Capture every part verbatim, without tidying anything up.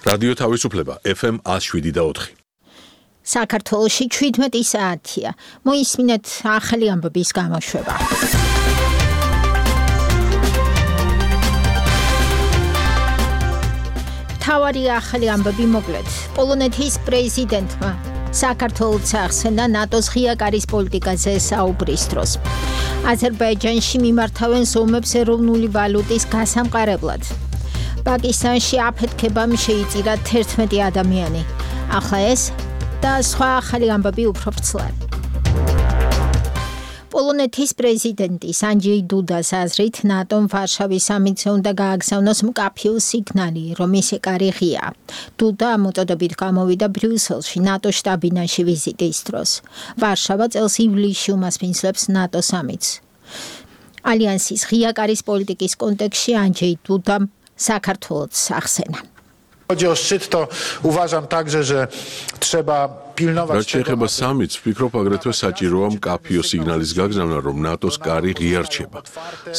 რადიო თავისუფლება ეფ ემ one oh seven და four. საქართველოში შვიდმეტი საათია. მოისმინეთ ახალი ამბების გამოშვება. თავარი ახალი ამბები მოკლედ. პოლონეთის პრეზიდენტმა საქართველოს ახსენა ნატოს ღია კარის პოლიტიკაზე საუბრის დროს. აზერბაიჯანში მიმართავენ ზომებს ეროვნული ვალუტის გასამყარებლად. პაკისტანში აფეთქებამ შეიწირა თერთმეტი ადამიანი. ახლა ეს და სხვა ახალი ამბები უფრო ვრცლად. პოლონეთის პრეზიდენტის ანჯეი დუდას აზრით ნატომ ვარშავის სამიტზე უნდა გააგზავნოს მკაფიო სიგნალი, რომ მისი კარი ღიაა. დუდა მოწოდებით გამოვიდა ბრიუსელში ნატოს შტაბ-ბინაში ვიზიტის დროს. ვარშავა წელს ივლისში უმასპინძლებს ნატო სამიტს. ალიანსის ღია კარის პოლიტიკის კონტექსტში ანჯეი დუდამ საქართველოს ახსენა. Chodzi o szczyt, to uważam także, że trzeba pilnować. რაც შეეხება სამიტს, ვფიქრობ აგრეთვე საჭიროა მკაფიო სიგნალის გაგზავნა, რომ ნატოს კარი ღია რჩება.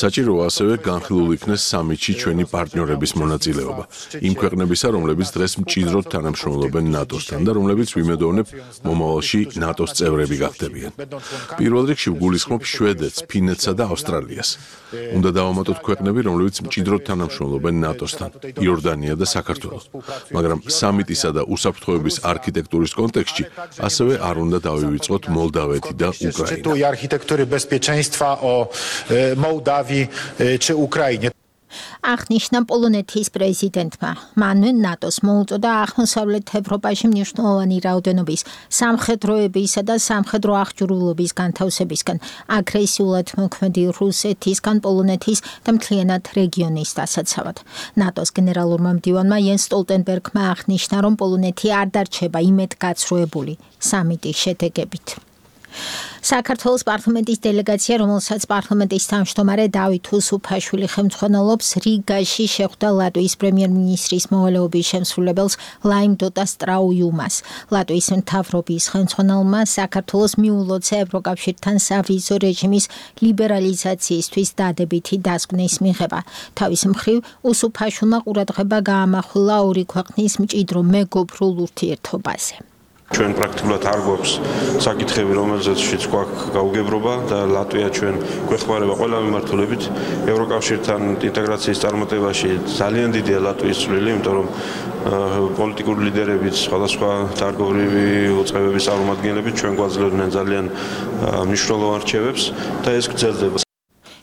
საჭიროა ასევე განხილულ იქნეს სამიტში ჩვენი პარტნიორების მონაწილეობა. იმ ქვეყნებისა, რომლებიც დღეს მჭიდროდ თანამშრომლობენ ნატოსთან და რომლებიც ვიმედოვნებ მომავალში ნატოს წევრები გახდებიან. პირველ რიგში ვგულისხმობ შვედეთს, ფინეთსა და ავსტრალიას. უნდა დავამატოთ ქვეყნები, რომლებიც მჭიდროდ თანამშრომლობენ ნატოსთან, იორდანია და საქართველო. მაგრამ სამიტისა და უსაფრთხოების არქიტექტურის კონტექსტში ასევე არ უნდა დავივიწყოთ მოლდავეთი და უკრაინა. I architektury bezpieczeństwa o Mołdawii czy Ukrainie. აღნიშნა პოლონეთის პრეზიდენტმა. მანვე ნატოს მოუწოდა აღმოსავლეთ ევროპაში მნიშვნელოვანი რაოდენობის სამხედროებისა და სამხედრო აღჭურვილობის განთავსებისგან, აგრესიულად მოქმედი რუსეთისგან პოლონეთის და მთლიანად რეგიონის დასაცავად. ნატოს გენერალურმა მდივანმა იენს სტოლტენბერგმა აღნიშნა, რომ პოლონეთი არ დარჩება იმედგაცრუებული სამიტის შედეგებით. საქართველოს პარლამენტის დელეგაცია, რომელსაც პარლამენტის თავმჯდომარე დავით უსუფაშვილი ხელმძღვანელობს, რიგაში შეხვდა ლატვიის პრემიერ-მინისტრის მოვალეობის შემსრულებელს ლაიმ დოტა სტრაუიუმას. ლატვიის მთავრობის ხელმძღვანელმა საქართველოს მიულოცა ევროკავშირთან სავიზო რეჟიმის ლიბერალიზაციისთვის დადებითი დასკვნის მიღება. თავის მხრივ უსუფაშვილმა ყურადღება გაამახვილა ორი ქვეყნის მჭიდრო მეგობრულ ურთიერთობაზე. ჩვენ პრაქტიკულად არ გვაქვს საკითხები, რომელზეც გვაქვს გაუგებრობა და ლატვია ჩვენ გვეხმარება ყველა მიმართულებით ევროკავშირთან ინტეგრაციის წარმატებაში. ძალიან დიდია ლატვიის წვლილი, იმიტომ რომ პოლიტიკური ლიდერებიც, სხვადასხვა დარგობრივი უწყებების წარმომადგენლები ჩვენ გვაძლევდნენ ძალიან მნიშვნელოვან რჩევებს და ეს გრძელდება.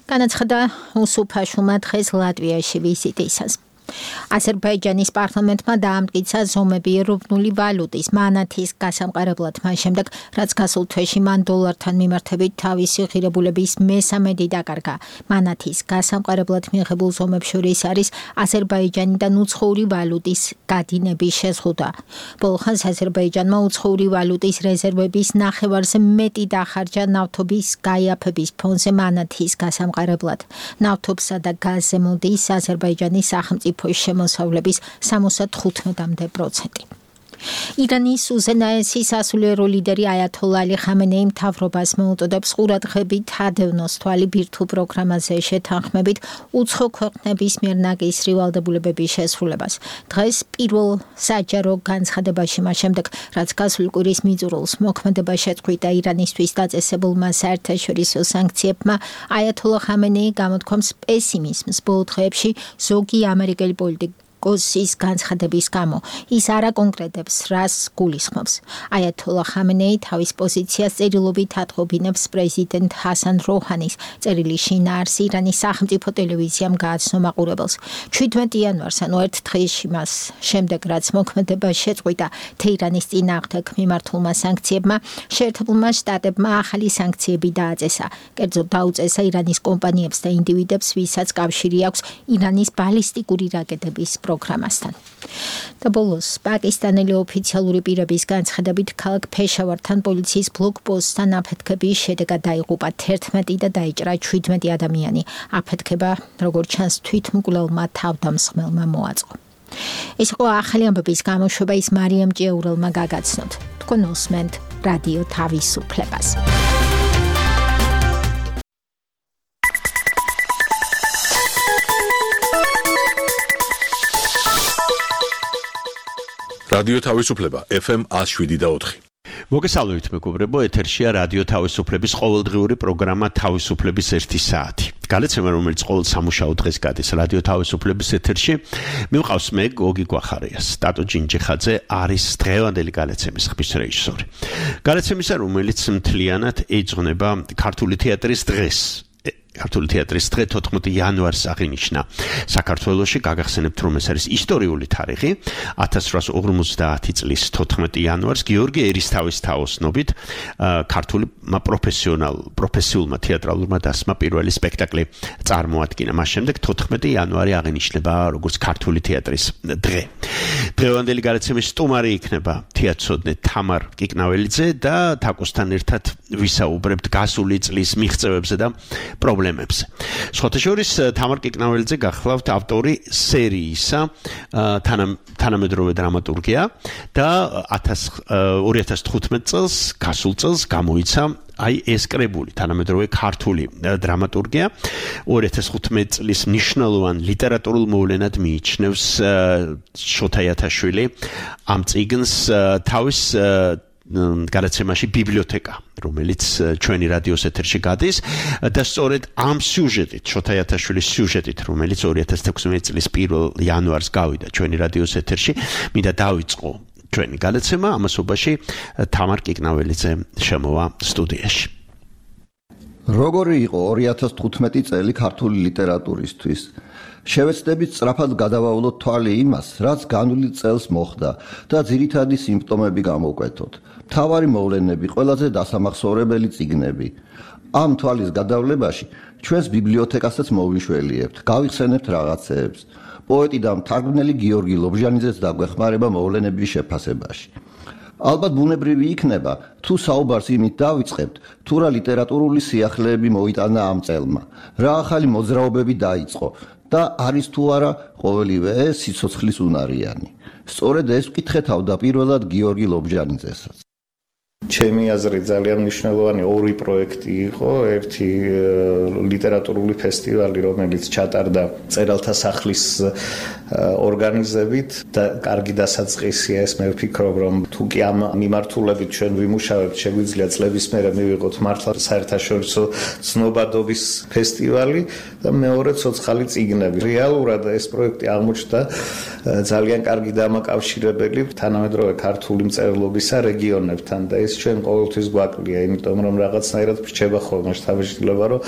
განაცხადა უსუფაშვილმა დღეს ლატვიაში ვიზიტისას. აზერბაიჯანის პარლამენტმა დაამტკიცა ზომები ეროვნული ვალუტის მანათის გასამყარებლად მას შემდეგ, რაც გასულ თვეში მან დოლართან მიმართებით თავისი ღირებულების მესამედი დაკარგა. მანათის გასამყარებლად მიღებულ ზომებს შორის არის აზერბაიჯანიდან უცხოური ვალუტის გადინების შეზღუდვა. ბოლო ხანს აზერბაიჯანმა უცხოური ვალუტის რეზერვების ნახევარზე მეტი დახარჯა ნავთობის გაიაფების ფონზე მანათის გასამყარებლად. ნავთობსა და გაზზე მოდის აზერბაიჯანის სახელმწიფო შემოსავლების სამოცდახუთამდე პროცენტი. ირანის უზენაესი სასულიერო ლიდერი აიათოლა ალი ხამენეი მთავრობას მოუწოდებს ყურადღებით ადევნოს თვალი ბირთვულ პროგრამაზე შეთანხმებით უცხო ქვეყნების მიერ ნაკისრი ვალდებულებების შესრულებას. დღეს პირველ საჯარო განცხადებაში მას შემდეგ, რაც გასული კვირის მიწურულს მოქმედება შეწყვიტა ირანისთვის დაწესებულმა საერთაშორისო სანქციებმა, აიათოლა ხამენეი გამოთქვამს პესიმიზმს ბოლო დღეებში ზოგი ამერიკელი პოლიტიკა კოსის განცხადების გამო. ის არ აკონკრეტებს, რას გულისხმობს. აიათოლა ხამენეი თავის პოზიციას წერილობით ატყობინებს პრეზიდენტ ჰასან როჰანის წერილი შინაარს ირანის სახელმწიფო ტელევიზიამ გააცნო მაყურებელს. შვიდმეტი იანვარს, ანუ ერთ დღეში მას შემდეგ, რაც მოქმედება შეწყვიტა თეირანის წინააღმდეგ მიმართულმა სანქციებმა, შეერთებულმა შტატებმა ახალი სანქციები დააწესა. კერძოდ დაუწესა ირანის კომპანიებს და ინდივიდებს, ვისაც კავშირი აქვს ირანის ბალისტიკური რაკეტების პროგრამასთან. და ბოლოს, პაკისტანელი ოფიციალური პირების განცხადებით, ქალაქ ფეშავართან პოლიციის ბლოკპოსტთან აფეთქების შედეგად დაიღუპა თერთმეტი და დაიჭრა შვიდმეტი ადამიანი. აფეთქება, როგორც ჩანს, თვითმკვლელმა თავდამსხმელმა მოაწყო. ეს იყო ახალი ამბების გამოშვება, ის მარიამ ჭიაურელმა გაგაცნოთ. თქვენ უსმენთ რადიო თავისუფლებას. რადიო თავისუფლება ეფ ემ one oh seven და four. მოგესალმებით მეგობრებო, ეთერშია რადიო თავისუფლების ყოველდღიური პროგრამა თავისუფლების ერთი საათი. გალეცემა, რომელიც ყოველ სამუშაო დღეს გადის რადიო თავისუფლების ეთერში, მივყავს მე გოგი გვახარიას. ტატო ჯინჯიხაძე არის დღევანდელი გალეცემის ხმის რეჟისორი. გალეცემისა, რომელიც მთლიანად ეძღვნება ქართული თეატრის დღეს. ქართული თეატრის დღე თოთხმეტი იანვარს აღინიშნა საქართველოში. გაგახსენებთ, რომ ეს არის ისტორიული თარიღი. one thousand eight hundred fifty წლის თოთხმეტი იანვარს გიორგი ერისთავის თაოსნობით ქართული პროფესიონალ პროფესიულმა თეატრალურმა დასმა პირველი სპექტაკლი წარმოადგინა. მას შემდეგ თოთხმეტი იანვარი აღინიშნება როგორც ქართული თეატრის დღე. დღევანდელი გალეცემის სტუმარი იქნება თეატრცოდნე თამარ კიკნაველიძე და თაკოსთან ერთად ვისაუბრებთ გასული წლის მიღწევებზე და პრობლემებზე. სხვათა შორის თამარ კიკნაველიძე გახლავთ ავტორი სერიისა თანამედროვე დრამატურგია და two thousand fifteen წელს გასულ წელს გამოიცა აი ეს კრებული თანამედროვე ქართული დრამატურგია. two thousand fifteen წლის მნიშვნელოვან ლიტერატურულ მოვლენად მიიჩნევს შოთა იათაშვილი ამ წიგნს თავის გალეცემაში ბიბლიოთეკა, რომელიც ჩვენი რადიოს ეთერში გადის და სწორედ ამ სიუჟეტით, შოთა იათაშვილის სიუჟეტით, რომელიც two thousand sixteen წლის პირველ იანვარს გავიდა ჩვენი რადიოს ეთერში, მინდა დავიწყო ჩვენი გალეცემა. ამასობაში თამარ კიკნაველიძე შემოვა სტუდიაში. როგორი იყო two thousand fifteen წელი ქართული ლიტერატურისთვის? შევეცდებით სწრაფად გადავავლოთ თვალი იმას, რაც განვლილ წელს მოხდა და ძირითადი სიმპტომები გამოვკვეთოთ. მთავარი მოვლენები, ყველაზე დასამახსოვრებელი წიგნები. ამ თვალის გადავლებაში ჩვენს ბიბლიოთეკასაც მოვიშველიებთ, გავიხსენებთ რაღაცეებს. პოეტი და მთარგმნელი გიორგი ლობჟანიძეს დაგვეხმარება მოვლენების შეფასებაში. ალბათ ბუნებრივი იქნება, თუ საუბარს იმით დავიწყებთ, თუ რა ლიტერატურული სიახლეები მოიტანა ამ წელმა, რა ახალი მოძრაობები დაიწყო და არის თუ არა ყოველივე ეს სიცოცხლის უნარიანი. სწორედ ეს ვკითხე თავდაპირველად გიორგი ლობჟანიძესაც. ჩემი აზრით ძალიან მნიშვნელოვანი ორი პროექტი იყო. ერთი ლიტერატურული ფესტივალი, რომელიც ჩატარდა წერალთა სახლის ორგანიზებით და კარგი დასაწყისია ეს. მე ვფიქრობ, რომ თუ კი ამ მიმართულებით ჩვენ ვიმუშავებთ, შეგვიძლია წლების მერე მივიღოთ მართლა საერთაშორისო ცნობადობის ფესტივალი და მეორე ცოცხალი წიგნები. რეალურად ეს პროექტი აღმოჩნდა ძალიან კარგი დამაკავშირებელი თანამედროვე ქართული მწერლობისა რეგიონებთან და ეს ჩვენ ყოველთვის გვაკლია, იმიტომ რომ რაღაცნაირად ვრჩება ხოლმე შთაბეჭდილება, რომ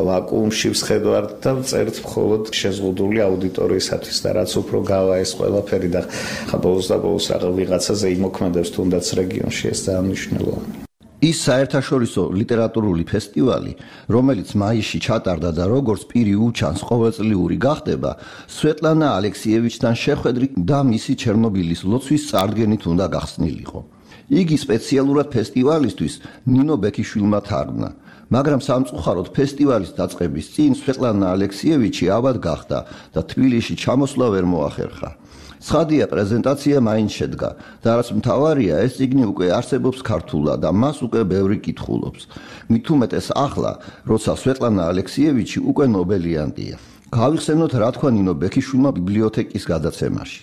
ვაკუუმში ვსხედავთ და წერთ მხოლოდ შეზღუდული აუდიტორიისათვის და რაც უფრო გავა ეს ყველაფერი და ხა ბოლოს და ბოლოს რაღაც ვიღაცაზე იმოქმედებს თუნდაც რეგიონში, ეს ძალიან მნიშვნელოვანია. ის საერთაშორისო ლიტერატურული ფესტივალი, რომელიც მაისში ჩატარდა და როგორც პირი უჩანს ყოველწლიური გახდება, სვეტლანა ალექსიევიჩთან შეხვედრით და მისი ჩერნობილის ლოცვის წარდგენით უნდა გახსნილიყო. იგი სპეციალურად ფესტივალისთვის ნინო ბექიშვილმა თარგმნა, მაგრამ სამწუხაროდ ფესტივალის დაწყების წინ სვეტლანა ალექსიევიჩი ავად გახდა და თბილისში ჩამოსვლა ვერ მოახერხა. ცხადია, პრეზენტაცია მაინც შედგა და რაც მთავარია, ეს წიგნი უკვე არსებობს ქართულად და მას უკვე ბევრი კითხულობს. მით უმეტეს ახლა, როცა სვეტლანა ალექსიევიჩი უკვე ნობელიანტია. გავიხსენოთ, რა თქვა ნინო ბექიშვილმა ბიბლიოთეკის გადაცემაში.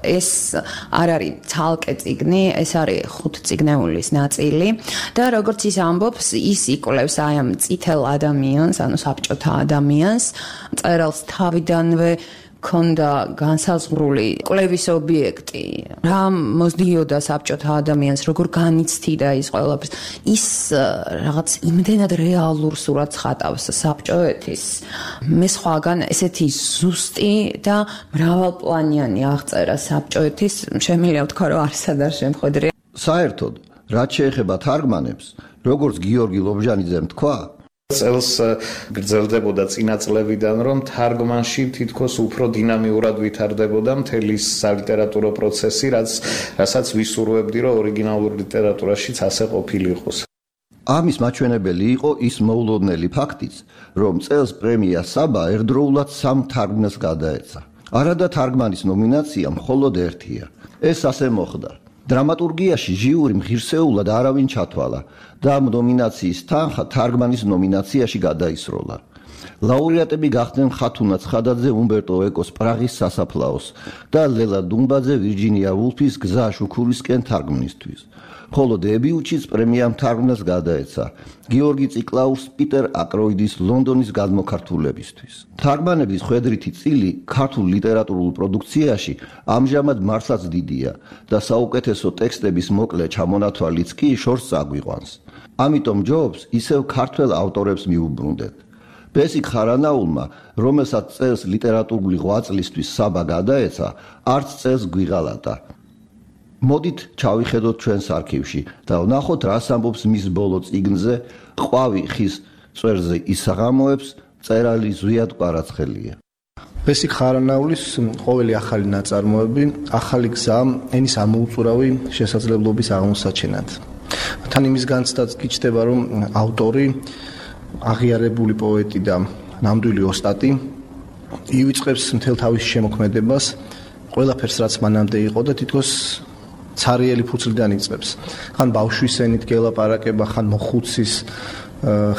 ეს არ არის ცალკე წიგნი, ეს არის ხუთწიგნეულის ნაწილი და როგორც ის ამბობს, ის იკვლევს აი ამ წითელ ადამიანს, ანუ საბჭოთა ადამიანს, მწერალს თავიდანვე ქონდა განსაზღვრული კვლევის ობიექტი. რა მოსდიოდა საბჭოთა ადამიანს, როგორ განიცდიდა ის ყველაფერს. ის რაღაც იმდენად რეალურ სურათს ხატავს საბჭოეთის. მე სხვაგან ესეთი ზუსტი და მრავალპლანიანი აღწერა საბჭოეთის, შემიძლია ვთქვა, რომ არსად არ შემხედრია. საერთოდ, რაც შეეხება თარგმანებს, როგორც გიორგი ლობჟანიძემ თქვა, წელს გრძელდებოდა წინა წლებიდან, რომ თარგმანში თითქოს უფრო დინამიურად ვითარდებოდა მთელი სალიტერატურო პროცესი, რაც რასაც ვისურვებდი, რომ ორიგინალურ ლიტერატურაშიც ასე ყოფილიყოს. ამის მაჩვენებელი იყო ის მოულოდნელი ფაქტიც, რომ წელს პრემია საბა ერთდროულად სამ თარგმნელს გადაეცა. არადა თარგმანის ნომინაცია მხოლოდ ერთია. ეს ასე მოხდა. დრამატურგიაში ჟიური ღირსეულად არავინ ჩათვალა და ამ ნომინაციის თანხა თარგმანის ნომინაციაში გადაისროლა. ლაურეატები გახდნენ ხათუნა ცხადაძე, უმბერტო ეკოს პრაღის სასაფლაოს და ლელა დუმბაძე ვირჯინია ვულფის გზა შუქურისკენ თარგმნისთვის. ხოლო დებიუტშიც პრემია მთარგმნელს გადაეცა გიორგი ციკლაურს პიტერ აკროიდის ლონდონის გადმოქართულებისთვის. თარგმანების ხვედრითი წილი ქართულ ლიტერატურულ პროდუქციაში ამჟამად მართლაც დიდია და საუკეთესო ტექსტების მოკლე ჩამონათვალიც კი შორს წაგვიყვანს. ამიტომ ჯობს ისევ ქართველ ავტორებს მიუბრუნდეთ. ბესიკ ხარანაულმა, რომელსაც წელს ლიტერატურული ღვაწლისთვის საბა გადაეცა, არც წელს გვიღალატა. მოდით ჩავიხედოთ ჩვენს არქივში და ვნახოთ, რას ამბობს მის ბოლო წიგნზე ყვავი ხის წვერზე ისაღამოებს წერალი ზვიად კვარაცხელია. ბესიკ ხარანაულის ყოველი ახალი ნაწარმოები ახალი გზა ენის ამოუწურავი შესაძლებლობის აღმოსაჩენად. თან იმის განცდაც კი ჩდება, რომ ავტორი აღიარებული პოეტი და ნამდვილი ოსტატი ივიწყებს მთელ თავის შემოქმედებას ყველაფერს, რაც მანამდე იყო და თითქოს ცარიელი ფუძლიდან იწყებს. ხან ბავშვის ენით გელაპარაკება, ხან მოხუცის,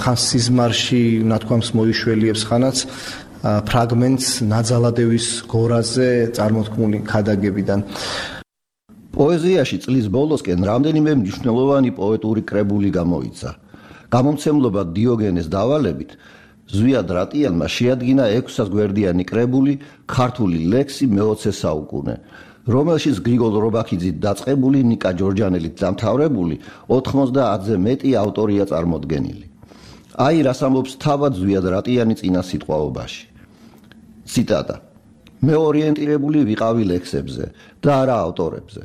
ხან სიზმარში ნათქვამს მოიშველიებს, ხანაც ფრაგმენტს ნაძალადევის გორაზე წარმოთქმული ქადაგებიდან. პოეზიაში წლის ბოლოსკენ რამდენიმე მნიშვნელოვანი პოეტური კრებული გამოიცა. გამომცემლობა დიოგენეს დავალებით ზვიად რატიანმა შეადგინა ექვსსასგვერდიანი კრებული ქართული ლექსი მეოცე საუკუნე, რომელშიც გრიგოლ რობაქიძით დაწყებული, ნიკა ჯორჯანელით დამთავრებული ოთხმოცდაათზე მეტი ავტორია წარმოდგენილი. აი რას ამბობს თავად ზვიად რატიანი წინა სიტყვაობაში. ციტატა: მე ორიენტირებული ვიყავი ლექსებზე და არა ავტორებზე,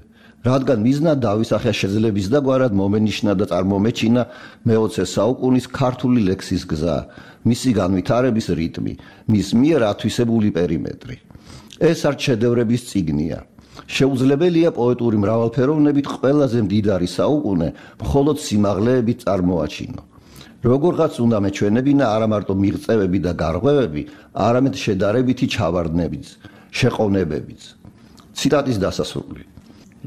რადგან მიზნად დავისახე შეძლების და გვარად მომენიშნა და წარმომეჩინა მეოცე საუკუნის ქართული ლექსის გზა, მისი განვითარების რიტმი, მის მიერ ათვისებული პერიმეტრი. ეს არც შედევრების წიგნია. შეუძლებელია პოეტური მრავალფეროვნებით ყველაზე მდიდარი საუკუნე მხოლოდ სიმაღლეებით წარმოაჩინო. როგორღაც უნდა მეჩვენებინა არა მარტო მიღწევები და გარღვევები, არამედ შედარებითი ჩავარდნებიც, შეყოვნებებიც. ციტატის დასასრული: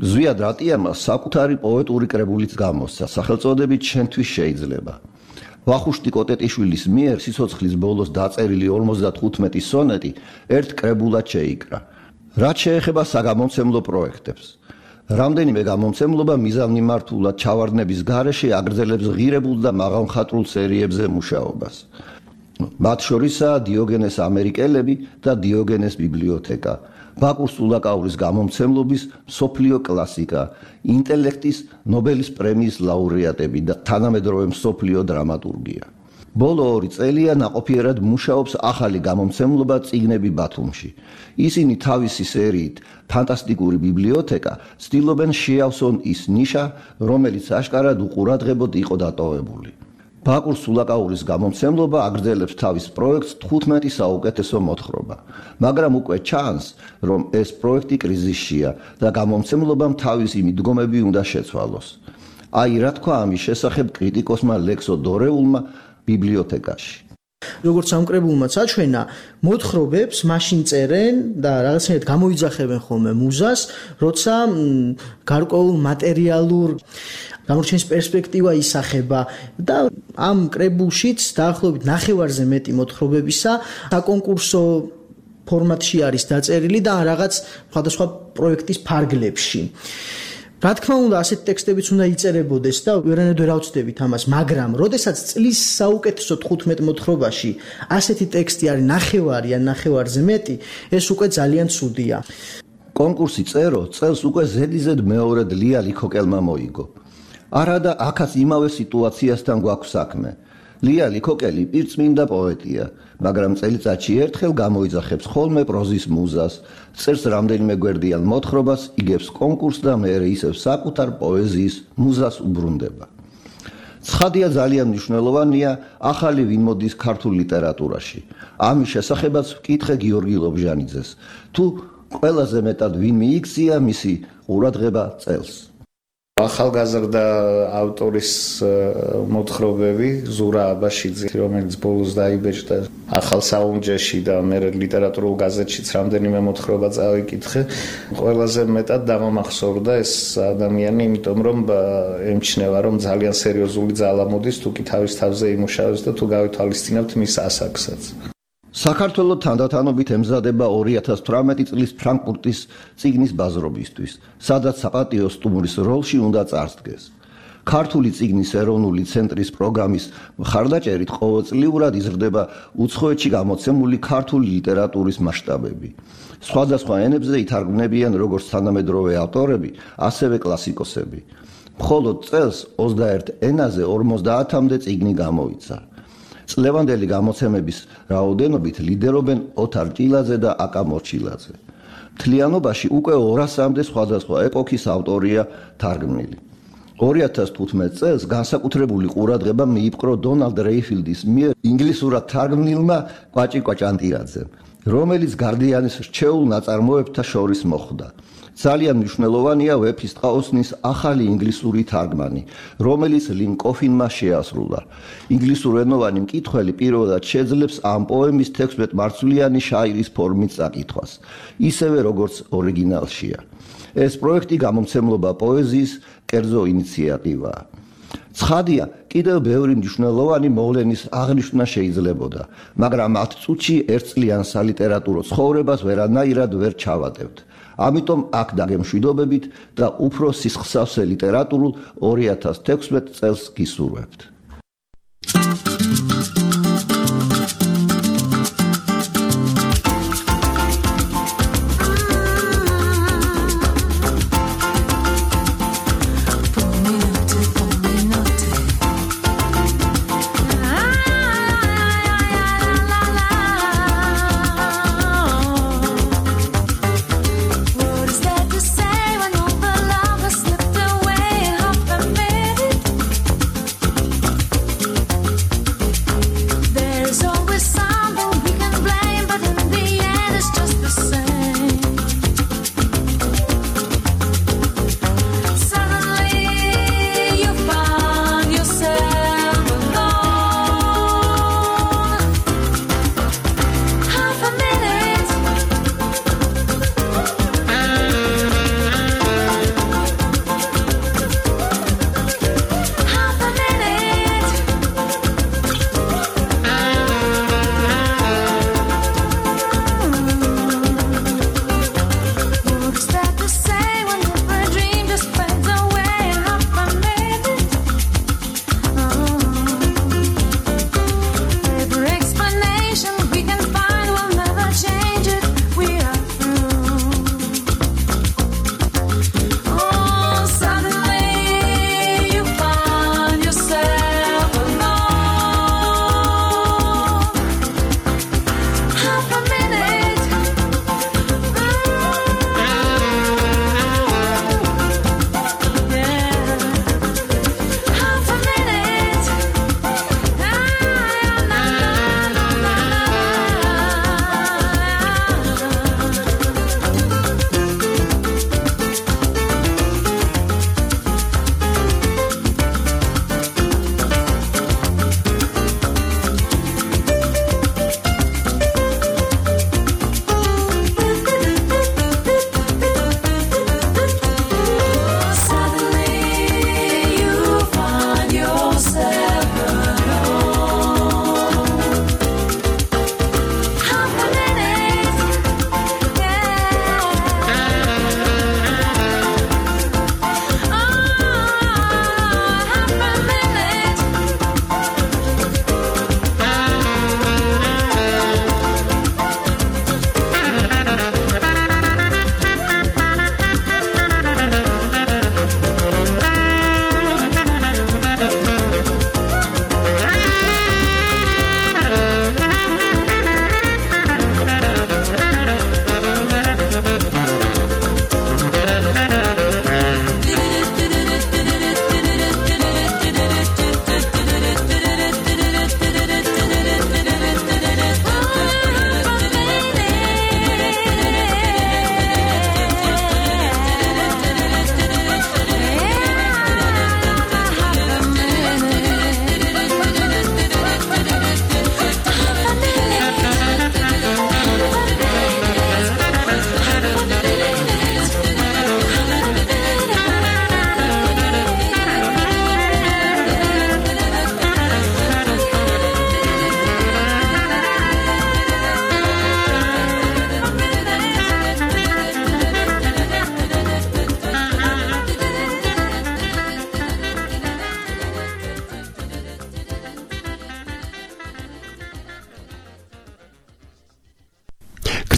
ზვიად რატიანმა საკუთარი პოეტური კრებულიც გამოსცა, სახელწოდებით შენთვის შეიძლება. ვახუშტი კოტეტიშვილის მიერ სიცოცხლის ბოლოს დაწერილი ორმოცდათხუთმეტი სონეტი ერთ კრებულად შეიკრა. რაც შეეხება საგამომცემლო პროექტებს, რამდენიმე გამომცემლობა მიზანმიმართულად ჩავარდნების გარეშე აგრძელებს ღირებულ და მაღალმხატვრულ სერიებზე მუშაობას. მათ შორისაა დიოგენეს ამერიკელები და დიოგენეს ბიბლიოთეკა, ბაკურ სულაკაურის გამომცემლობის მსოფლიო კლასიკა, ინტელექტის ნობელის პრემიის ლაურეატები და თანამედროვე მსოფლიო დრამატურგია. ბოლო ორი წელია ნაყოფიერად მუშაობს ახალი გამომცემლობა წიგნები ბათუმში. ისინი თავისი სერიით ფანტასტიკური ბიბლიოთეკა ცდილობენ შეავსონ ის ნიშა, რომელიც აშკარად უყურადღებოდ იყო დატოვებული. ბაკურ სულაკაურის გამომცემლობა აგრძელებს თავის პროექტს თხუთმეტი საუკეთესო მოთხრობა, მაგრამ უკვე ჩანს, რომ ეს პროექტი კრიზისშია და გამომცემლობამ თავისი მიდგომები უნდა შეცვალოს. აი რა თქვა ამის შესახებ კრიტიკოსმა ლექსო დორეულმა ბიბლიოთეკაში. როგორც ამ კრებულმაც აჩვენა, მოთხრობებს მაშინ წერენ და რაღაცნაირად გამოიძახებენ ხოლმე მუზას, როცა გარკვეულ მატერიალურ გამორჩენის პერსპექტივა ისახება და ამ კრებულშიც დაახლოებით ნახევარზე მეტი მოთხრობებისა საკონკურსო ფორმატში არის დაწერილი და რაღაც სხვადასხვა პროექტის ფარგლებში. რა თქმა უნდა, ასეთი ტექსტებიც უნდა იწერებოდეს და ვერანაირად ვერ ავწდებით ამას, მაგრამ როდესაც წლის საუკეთესო თხუთმეტ მოთხრობაში ასეთი ტექსტი არის ნახევარი ან ნახევარზე მეტი, ეს უკვე ძალიან ცუდია. კონკურსი წერო წელს უკვე ზედიზედ მეორედ ლია ლიქოკელმა მოიგო. არა და აქაც იმავე სიტუაციასთან გვაქვს საქმე. ლია ლიქოკელი პირწმინდა პოეტია, მაგრამ წელიწადში ერთხელ გამოიძახებს ხოლმე პროზის მუზას, წერს რამდენიმე გვერდიან მოთხრობას, იგებს კონკურსს და მერე ისევ საკუთარ პოეზიის მუზას უბრუნდება. ცხადია, ძალიან მნიშვნელოვანია ახალი ვინ მოდის ქართულ ლიტერატურაში. ამის შესახებაც ვკითხე გიორგი ლობჟანიძეს, თუ ყველაზე მეტად ვინ მიიქცია მისი ყურადღება წელს. ახალგაზრდა ავტორის მოთხრობები ზურა აბაშიძე, რომელიც ბოლოს დაიბეჭდა ახალ საუნჯეში და მე ლიტერატურულ გაზეთშიც რამდენიმე მოთხრობა წავიკითხე. ყველაზე მეტად დამამახსოვრდა ეს ადამიანი, იმიტომ რომ ემჩნევა, რომ ძალიან სერიოზული ძალა მოდის თუ კი თავის თავზე იმუშავებს და თუ გავითვალისწინებთ მის ასაკსაც. საქართველოს თანდათანობით ემზადება ორი ათას თვრამეტი წლის ფრანკფურტის წიგნის ბაზრობისთვის, სადაც საპატიო სტუმრის როლში უნდა წარსდგეს. ქართული წიგნის ეროვნული ცენტრის პროგრამის მხარდაჭერით ყოველწლიურად იზრდება უცხოეთში გამოცემული ქართული ლიტერატურის მასშტაბები. სხვადასხვა ენებზე ითარგმნებიან როგორც თანამედროვე ავტორები, ასევე კლასიკოსები. მხოლოდ წელს ოცდაერთ ენაზე ორმოცდაათამდე წიგნი გამოიცა. წლევანდელი გამოცემების რაოდენობით ლიდერობენ ოთარ ჭილაძე და აკა მორჩილაძე. მთლიანობაში უკვე ორასამდე სხვადასხვა ეპოქის ავტორია თარგმნილი. ორი ათას თხუთმეტ წელს განსაკუთრებული ყურადღება მიიპყრო დონალდ რეიფილდის მიერ ინგლისურად თარგმნილმა კვაჭი კვაჭანტირაძემ, რომელიც გარდიანის რჩეულ ნაწარმოებთა შორის მოხვდა. ძალიან მნიშვნელოვანია ვეფის ტყაოსნის ახალი ინგლისური თარგმანი, რომელიც ლინ კოფინმა შეასრულა. ინგლისურენოვანი მკითხველი პირველად შეძლებს ამ პოემის თექვსმეტმარცვლიანი შაირის ფორმით წაკითხვას, ისევე როგორც ორიგინალშია. ეს პროექტი გამომცემლობა პოეზიის კერძო ინიციატივაა. ცხადია, კიდევ ბევრი მნიშვნელოვანი მოვლენის აღნიშვნა შეიძლებოდა, მაგრამ ათ წუთში ერთწლიან სალიტერატურო ცხოვრებას ვერანაირად ვერ ჩავატევთ. ამიტომ აქ დაგემშვიდობებით და უფრო სისხლსავსე ლიტერატურულ ორი ათას თექვსმეტ წელს გისურვებთ.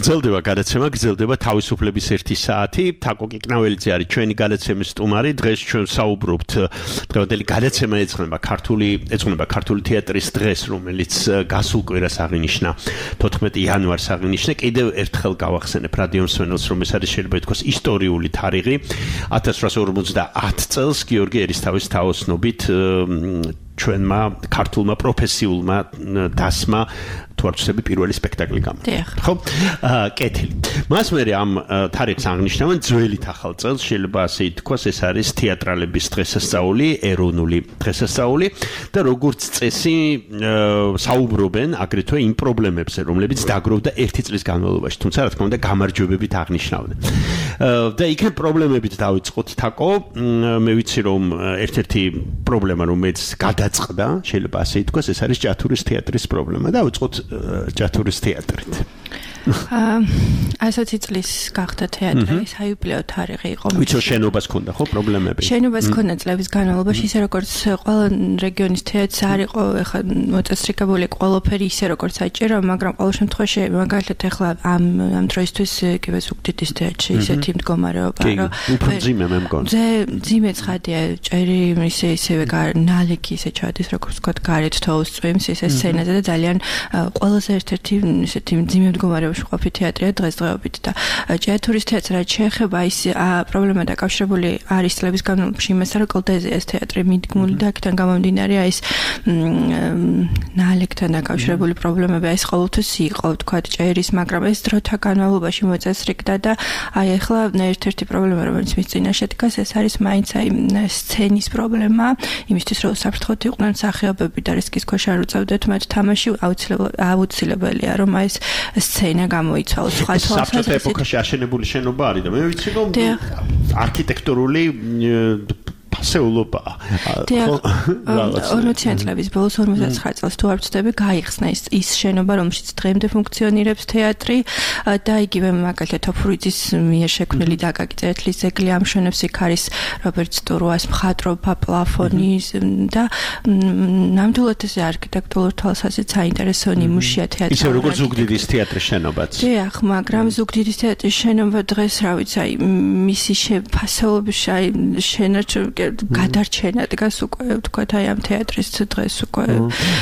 გრძელდება გადაცემა, გრძელდება თავისუფლების ერთი საათი. თაკო კიკნაველიძე არის ჩვენი გადაცემის სტუმარი. დღეს ჩვენ საუბრობთ დღევანდელი გადაცემა ეძღვნება ქართული ეძღვნება ქართული თეატრის დღეს, რომელიც გასულ კვირას აღინიშნა თოთხმეტი იანვარს აღინიშნა. კიდევ ერთხელ გავახსენებ რადიო მსმენელს, რომ ეს არის შეიძლება ითქვას ისტორიული თარიღი. ათას რვაასი ორმოცდაათ წელს გიორგი ერისთავის თაოსნობით ჩვენმა ქართულმა პროფესიულმა დასმა თუ არ ვცდები პირველი სპექტაკლი გამოვიდა. ხო? აა კეთილი. მას მერე ამ თარიღს აღნიშნავენ ძველით ახალ წელს, შეიძლება ასე ითქვას, ეს არის თეატრალების დღესასწაული, ეროვნული დღესასწაული და როგორც წესი საუბრობენ აგრეთვე იმ პრობლემებზე, რომლებიც დაგროვდა ერთი წლის განმავლობაში, თუმცა რა თქმა უნდა გამარჯვებებით აღნიშნავდნენ. და იქ პრობლემებით დავიწყოთ თაკო, მე ვიცი რომ ერთ-ერთი პრობლემა რომელიც გადაწყდა, შეიძლება ასე ითქვას, ეს არის ჭათურის თეატრის პრობლემა. დავიწყოთ ჭათურის თეატრით. ასეთი წლის გახდა თეატრი, საიუბილეო თარიღი იყო. ვიცი შენობას ქონდა ხო პრობლემები? შენობას ქონდა წლების განმავლობაში, ისე როგორც ყველა რეგიონის თეატრს არ იყო ეხლა მოწესრიგებული ყველაფერი ისე როგორც საჭირო, მაგრამ ყოველ შემთხვევაში მაგალითად ეხლა ამ ამ დროისთვის კიდევ ზუგდიდის თეატრში ისეთი მდგომარეობა, რომ უფრო ძიმე მე მგონი. ზე ძიმე ცხადია, ჭერი ისე ისევე ნალექი ისე ჩადის, როგორც ვთქვათ, გარეთ თოვლს წვიმს ისე სცენაზე და ძალიან ყველაზე ერთ-ერთი ისეთი ძიმე მდგომარეობა ყოფი თეატრია დღესდღეობით და ჭიათურის თეატრს რაც შეეხება ის პრობლემა დაკავშირებული არის წლების განმავლობაში იმასთან, რომ კლდეზეა თეატრი მიდგმული და აქედან გამომდინარე ის ნალექთან დაკავშირებული პრობლემები ეს ყოველთვის იყო, ვთქვათ, ჭერის, მაგრამ ეს დროთა განმავლობაში მოწესრიგდა და აი ახლა ერთ-ერთი პრობლემა, რომელიც მის წინაშე დგას, ეს არის მაინც აი სცენის პრობლემა, იმისთვის რომ საფრთხოდ იყვნენ მსახიობები და რისკის ქვეშ არ უწევდეთ მათ თამაში, აუცილებელია რომ აი ეს სცენა გამოიცვალოს სხვა საბჭოთა ეპოქაში აშენებული შენობა არის და მე ვიცი რომ არქიტექტურული ფასეულობა ორმოციანი წლების ბოლოს ორმოცდაცხრა წელს თუ არ ვცდები გაიხსნა ის ის შენობა რომელშიც დღემდე ფუნქციონირებს თეატრი და იგივე მაგალითად თოფურიძის მიერ შექმნილი დაკაკი წერეთლის ძეგლი ამშვენებს იქ არის რობერტ სტურუას მხატვრობა პლაფონი და ნამდვილად ეს არქიტექტურულ თვალსაზრისით საინტერესო ნიმუშია თეატრი ისე როგორც ზუგდიდის თეატრის შენობაც დიახ მაგრამ ზუგდიდის თეატრის შენობა დღეს რა ვიცი აი მისი ფასეულობის აი შენარჩ გადარჩენა დგას უკვე ვთქვათ აი ამ თეატრის დღეს უკვე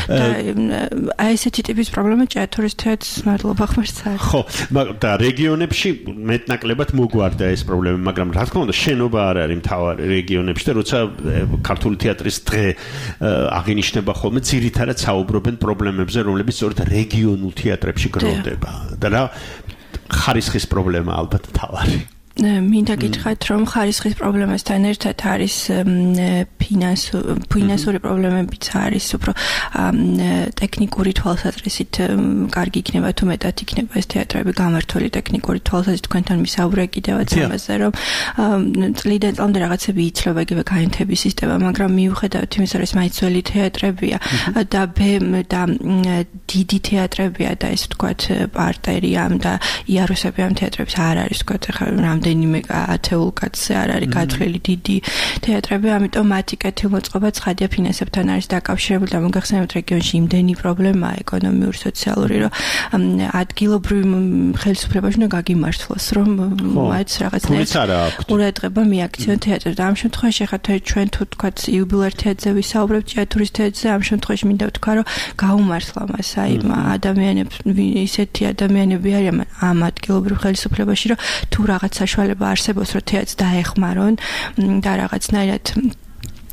და აი ესეთი ტიპის პრობლემა ჭიათურის თეატრს მადლობა ხმარს არის ხო და რეგიონებში მეტნაკლებად მოგვარდა ეს პრობლემა მაგრამ რა თქმა უნდა შენობა არ არის მთავარი რეგიონებში და როცა ქართული თეატრის დღე აღინიშნება ხოლმე ძირითადად საუბრობენ პრობლემებზე რომლებიც სწორედ რეგიონულ თეატრებში გროვდება და რა ხარისხის პრობლემა ალბათ მთავარი მინდა გითხრათ რომ ხარისხის პრობლემასთან ერთად არის ფინანსური პრობლემებიც არის უფრო ტექნიკური თვალსაზრისით კარგი იქნება თუ მეტად იქნება ეს თეატრები გამართული ტექნიკური თვალსაზრისით თქვენთან მისაუბრე კიდევაც ამაზე რომ წლიდან წლამდე რაღაცები იცლება იგივე გაენთების სისტემა მაგრამ მიუხედავად იმისა რომ ეს მაინც ძველი თეატრებია და და დიდი თეატრებია და ეს ვთქვათ პარტერიამ და იარუსები ამ თეატრებს არ არის ვთქვათ ახლა რამდენიმე ათეულ კაცზე არ არის გათვლილი დიდი თეატრები, ამიტომ მათი კეთილმოწყობა ცხადია ფინანსებთან არის დაკავშირებული და მოგახსენებთ რეგიონში იმდენი პრობლემაა ეკონომიური, სოციალური, რომ ადგილობრივ ხელისუფლებაში უნდა გაგიმართლოს, რომ მათ რაღაცნაირად ყურადღება მიაქციონ თეატრს. და ამ შემთხვევაში ხა ჩვენ თუ თქვათ იუბილეარ თეატრზე ვისაუბრებთ, ჭიათურის თეატრზე, ამ შემთხვევაში მინდა ვთქვა, რომ გაუმართლა მას აი ადამიანებს ისეთი ადამიანები არიან ამ ადგილობრივ ხელისუფლებაში, რომ თუ რაღაც საშუალება არსებობს, რომ თეატრს დაეხმარონ და რაღაცნაირად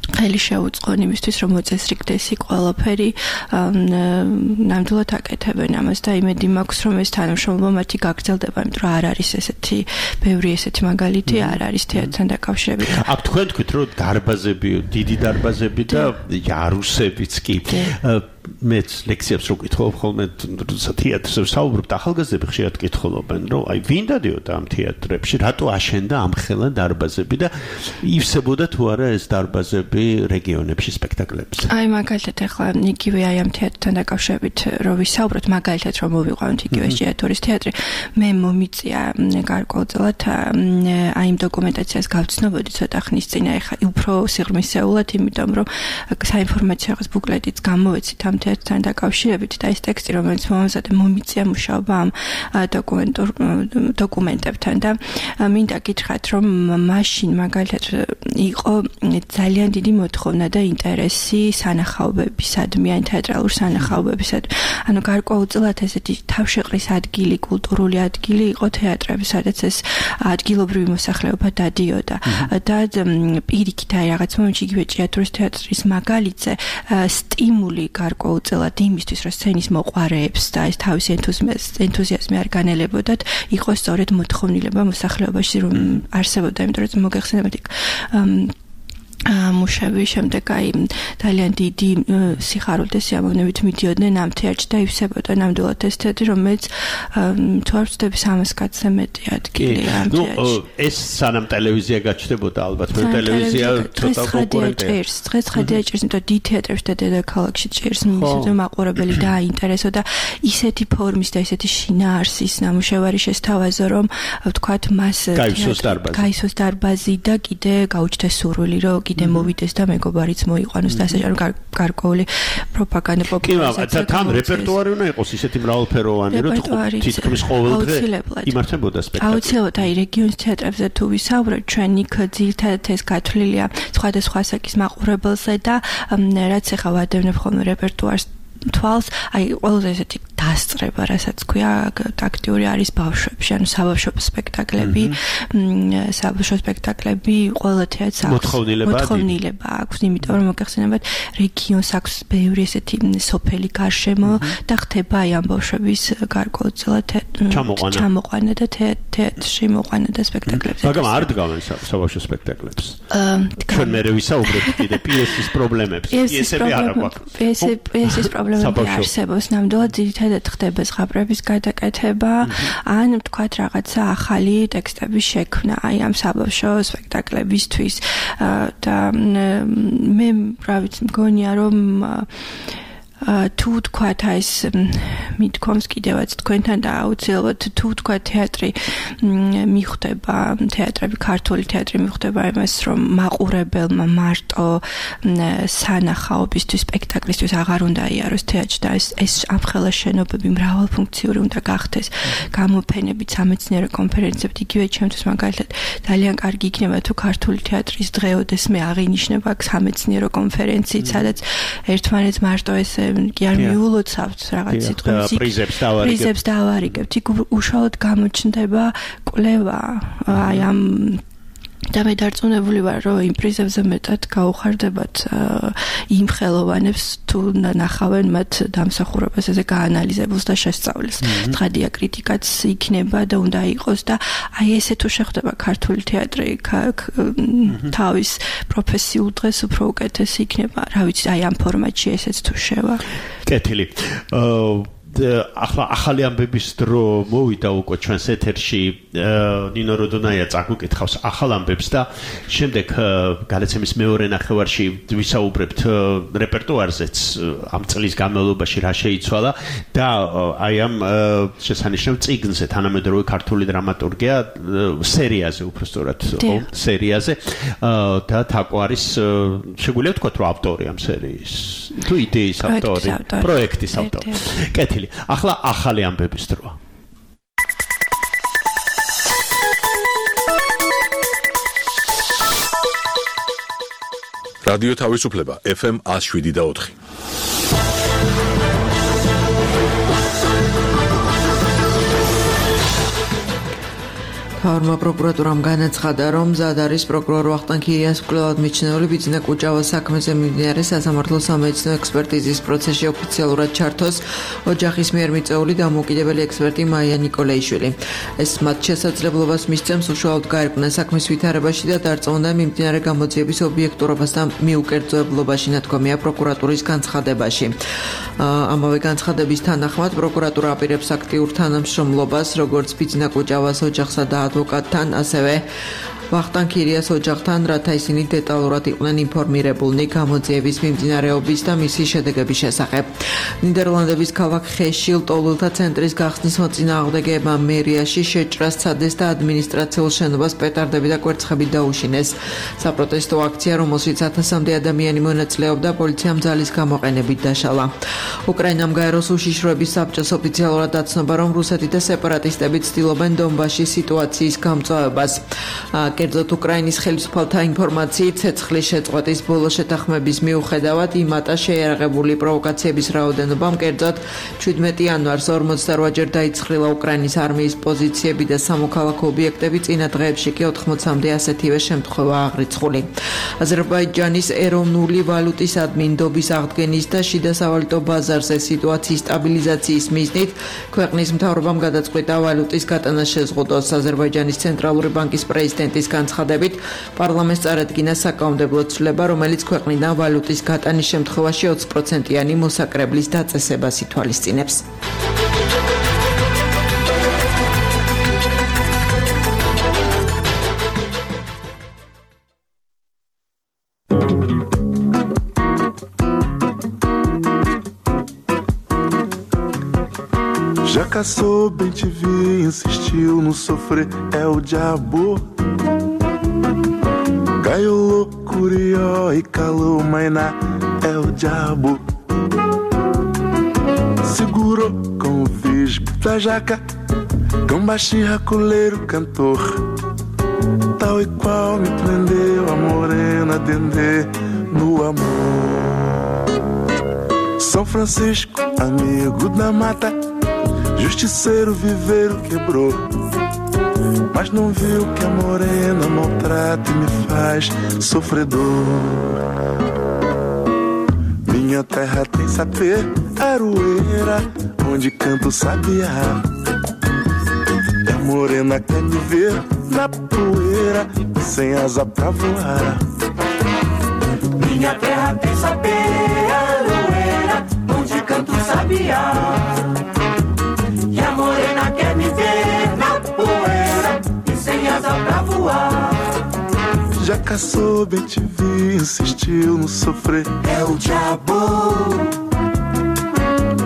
ხელი შეუწყონ იმისთვის, რომ მოწესრიგდეს იქ ყველაფერი, ნამდვილად აკეთებენ ამას და იმედი მაქვს, რომ ეს თანამშრომლობა მათი გაგრძელდება, იმიტომ რომ არ არის ესეთი ბევრი ესეთი მაგალითი, არ არის თეატრთან დაკავშირებით. აქ თქვენ თქვით, რომ დარბაზები, დიდი დარბაზები და იარუსებიც კი მეც ლექციებს რო კითხულობ ხოლმე თეატრზე საუბრობ ახალგაზრდები ხშირად კითხულობენ რომ აი ვინ დადიოდა ამ თეატრებში რატო აშენდა ამხელა დარბაზები და ივსებოდა თუ არა ეს დარბაზები რეგიონებში სპექტაკლებზე აი მაგალითად ახლა იგივე აი ამ თეატრთან დაკავშირებით რო ვისაუბროთ მაგალითად რომ მოვიყვანოთ იგივე ჭიათურის თეატრი მე მომიწია გარკვეულწილად აი იმ დოკუმენტაციას გავცნობოდი ცოტა ხნის წინ აი ხა უფრო სიღრმისეულად იმიტომ რომ საინფორმაციო რაღაც ბუკლეტიც გამოვეცით ამ თეატრთან დაკავშირებით და ეს ტექსტი, რომელიც მომზადდა, მომიწია მუშაობა ამ დოკუმენტურ დოკუმენტებთან და მინდა გითხრათ, რომ მაშინ მაგალითად იყო ძალიან დიდი მოთხოვნა და ინტერესი სანახაობებისადმი, ან თეატრალურ სანახაობებისადმი. ანუ გარკვეულწილად ესეთი თავშეყრის ადგილი, კულტურული ადგილი იყო თეატრები, სადაც ეს ადგილობრივი მოსახლეობა დადიოდა. და პირიქით აი რაღაც მომენტში იგივე ჭიათურის თეატრის მაგალითზე სტიმული გარკვეულწილად იმისთვის, რომ სცენის მოყვარეებს და ეს თავისი ენთუზიაზმი არ განელებოდათ, იყო სწორედ მოთხოვნილება მოსახლეობაში, რომ არსებობდა, იმიტომ რომ მოგეხსენებათ იქ მუშები შემდეგ აი ძალიან დიდი სიხარულით სიამოვნებით მიდიოდნენ ამ თეატრში და ივსებოდა ნამდვილად ეს თეატრი, რომელიც თუ არ ვცდები სამას კაცზე მეტი ადგილი ამ თეატრში. ეს სანამ ტელევიზია გაჩნდებოდა ალბათ, მე ტელევიზია ცოტა კონკურენტია. დღეს ხედია ჭირს, იმიტომ დიდი თეატრებში და დედაქალაქში ჭირს მინიმუმ მაყურებელი დააინტერესო და ისეთი ფორმის და ისეთი შინაარსის ნამუშევარი შესთავაზო, რომ ვთქვათ მას გაისოს დარბაზი და კიდე გაუჩნდეს სურვილი, რომ კიდე მოვიდეს და მეგობარიც მოიყვანოს და ასე რომ გარკვეული პროპაგანდა პოპულარიზაცია. კი, თან რეპერტუარი უნდა იყოს ისეთი მრავალფეროვანი, რომ თითქმის ყოველდღე იმართებოდა სპექტაკლი. აუცილებლად აი რეგიონის თეატრებზე თუ ვისაუბრებთ, ჩვენ იქ ძირითადად ეს გათვლილია სხვადასხვა ასაკის მაყურებელზე და რაც ახლა ვადევნებ ხოლმე რეპერტუარს თვალს, აი ყველაზე ესეთი დასწრება, რასაც ქვია, აქტიური არის ბავშვებში, ანუ საბავშვო სპექტაკლები, საბავშვო სპექტაკლები ყველა თეატრს აქვს მოთხოვნილება აქვს, იმიტომ რომ მოგეხსენებათ, რეგიონს აქვს ბევრი ესეთი სოფელი გარშემო და ხდება აი ამ ბავშვების გარკვეულწილად ჩამოყვანა და თეატრში მოყვანა და სპექტაკლებზე. მაგრამ არ დგავენ საბავშვო სპექტაკლებს. ჩვენ მერე ვისაუბრებთ კიდე პიესის პრობლემებს. პიესები არ აქვს. პიესის პრობლემები არსებობს, ნამდვილად ძირითადად ხდება ზღაპრების გადაკეთება, ან ვთქვათ რაღაცა ახალი ტექსტების შექმნა აი ამ საბავშვო სპექტაკლებისთვის და მე რა ვიცი მგონია რომ თუ თქვათ აი ეს მithkoms კიდევაც თქვენთან და აუცილებლად თუ თქვათ თეატრი მიხვდება თეატრები ქართული თეატრი მიხვდება იმას რომ მაყურებელმა მარტო სანახაობისთვის სპექტაკლისთვის აღარ უნდა იაროს თეატრში და ეს ეს ამხელა შენობები მრავალფუნქციური უნდა გახდეს გამოფენებით სამეცნიერო კონფერენციებით იგივე ჩემთვის მაგალითად ძალიან კარგი იქნება თუ ქართული თეატრის დღეოდეს მე აღინიშნება აქ სამეცნიერო კონფერენციით სადაც ერთმანეთს მარტო ეს კი არ მიულოცავთ რაღაც სიტყვებს პრიზებს დავარიგებთ იქ უშუალოდ გამოჩნდება კვლევა აი ამ და მე დარწმუნებული ვარ რომ იმ პრიზებზე მეტად გაუხარდებათ იმ ხელოვანებს თუ ნახავენ მათ დამსახურებას ესე გაანალიზებულს და შესწავლეს ტრადია კრიტიკაც იქნება და უნდა იყოს და აი ესე თუ შეხვდება ქართული თეატრი თავის პროფესიულ დღეს უფრო უკეთესი იქნება რა ვიცი აი ამ ფორმატში ესეც თუ შევა კეთილი ახლა ახალი ამბების დრო მოვიდა უკვე ჩვენს ეთერში ნინო როდონაია წაგუკითხავს ახალ ამბებს და შემდეგ გადაცემის მეორე ნახევარში ვისაუბრებთ რეპერტუარზეც ამ წლის განმავლობაში რა შეიცვალა და აი ამ შესანიშნავ წიგნზე თანამედროვე ქართული დრამატურგია სერიაზე უბრალოდ სერიაზე და თაკო არის შეგვიძლია ვთქვათ რომ ავტორი ამ სერიის თუ იდეის ავტორი პროექტის ავტორი კეთილი ახლა ახალი ამბების დროა რადიო თავისუფლება ეფ ემ one oh seven და four მთავრმა პროკურატურამ განაცხადა, რომ მზად არის პროკურორ ვახტანგ ქირიანს მკვლელად მიჩნეული ბიძინა კუჭავას საქმეზე მიმდინარე სასამართლო სამედიცინო ექსპერტიზის პროცესში ოფიციალურად ჩართოს ოჯახის მიერ მიწეული დამოუკიდებელი ექსპერტი მაია ნიკოლაიშვილი. ეს მათ შესაძლებლობას მისცემს უშუალოდ გაერკვნენ საქმის ვითარებაში და დარწმუნდა მიმდინარე გამოძიების ობიექტურობას და მიუკერძოებლობაში, ნათქვამია პროკურატურის განცხადებაში. ამავე განცხადების თანახმად პროკურატურა აპირებს აქტიურ თანამშრომლობას, როგორც ბიძინა კუჭავას ოჯახსა და ადვოკატთან, ასევე ვახტანგ ქირიას ოჯახთან, რათა ისინი დეტალურად იყვნენ ინფორმირებულნი გამოძიების მიმდინარეობის და მისი შედეგების შესახებ. ნიდერლანდების ქალაქ ხეში ლტოლვილთა ცენტრის გახსნის მოწინააღმდეგეებმა მერიაში შეჭრა სცადეს და ადმინისტრაციულ შენობას პეტარდები და კვერცხებით დაუშინეს. საპროტესტო აქცია, რომელშიც ათასამდე ადამიანი მონაწილეობდა, პოლიციამ ძალის გამოყენებით დაშალა. უკრაინამ გაეროს უშიშროების საბჭოს ოფიციალურად დაცნობა, რომ რუსეთი და სეპარატისტები ცდილობენ დონბასში სიტუაციის გამწვავებას. კერძოდ უკრაინის ხელისუფალთა ინფორმაციით, ცეცხლის შეწყვეტის ბოლო შეთანხმების მიუხედავად იმატა შეიარაღებული პროვოკაციების რაოდენობამ, კერძოდ შვიდმეტი იანვარს ორმოცდაოთხჯერ დაიცხრილა უკრაინის არმიის პოზიციები და სამოქალაქო ობიექტები, წინა დღეებში კი ოთხმოცამდე ასეთივე შემთხვევა აღრიცხული. აზერბაიჯანის ეროვნული ვალუტის ადმინდობის აღდგენის და შიდა სავალუტო ბაზარზე სიტუაციის სტაბილიზაციის მიზნით ქვეყნის მთავრობამ გადაწყვიტა ვალუტის გატანას შეზღუდოს. აზერბაიჯანის ცენტრალური ბანკის პრეზიდენტის განცხადებით, პარლამენტს წარადგინა საკანონმდებლო ცვლილება, რომელიც ქვეყნიდან ვალუტის გატანის შემთხვევაში ოცი პროცენტიანი მოსაკრებლის დაწესებას ითვალისწინებს. Já caçou, bem te vi, insistiu no sofrer, é o diabo. Gaiolou, curió e calou, mainá, é o diabo. Segurou com o visgo da jaca, cão baixinho, racoleiro, cantor. Tal e qual me prendeu a morena dendê no amor. São Francisco, amigo da mata, justiceiro viveiro quebrou, mas não viu que a morena maltrata e me faz sofredor. Minha terra tem sapê, aroeira, onde canta o sabiá. E a morena quer me ver na poeira, sem asa pra voar. Minha terra tem sapê, aroeira, onde canta o sabiá. Morena quer me ver na poeira e sem asa pra voar. Já caçou, bem te vi, insistiu no sofrer, é o diabo.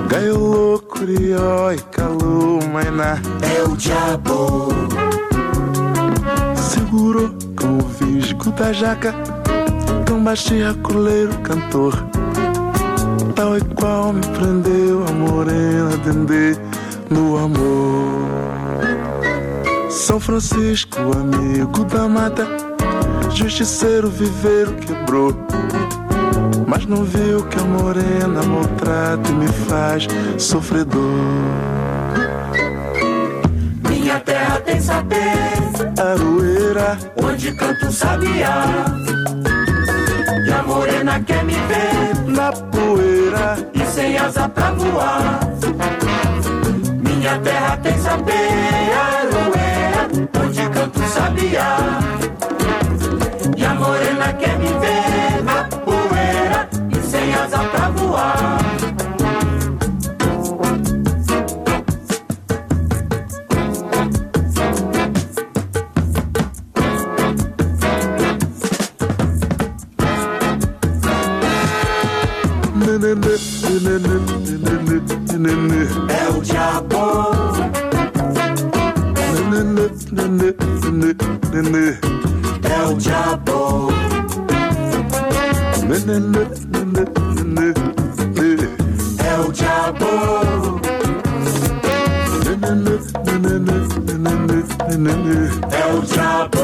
Gaiolou, curió e calou, mainá, é o diabo. Segurou com o visgo da jaca, tão baixinho, coleiro, cantor. Tal e qual me prendeu a morena dendê no amor. São Francisco, amigo da mata, justiceiro viveiro quebrou, mas não viu que a morena maltrata e me faz sofredor. Minha terra tem sapê, aroeira, onde canta o sabiá. E a morena quer me ver na poeira e sem asa pra voar. Minha terra tem sapê, aroeira, onde canta o sabiá. E a morena quer me ver na poeira e sem asa pra voar. É o diabo. É o diabo. É o diabo. É o diabo.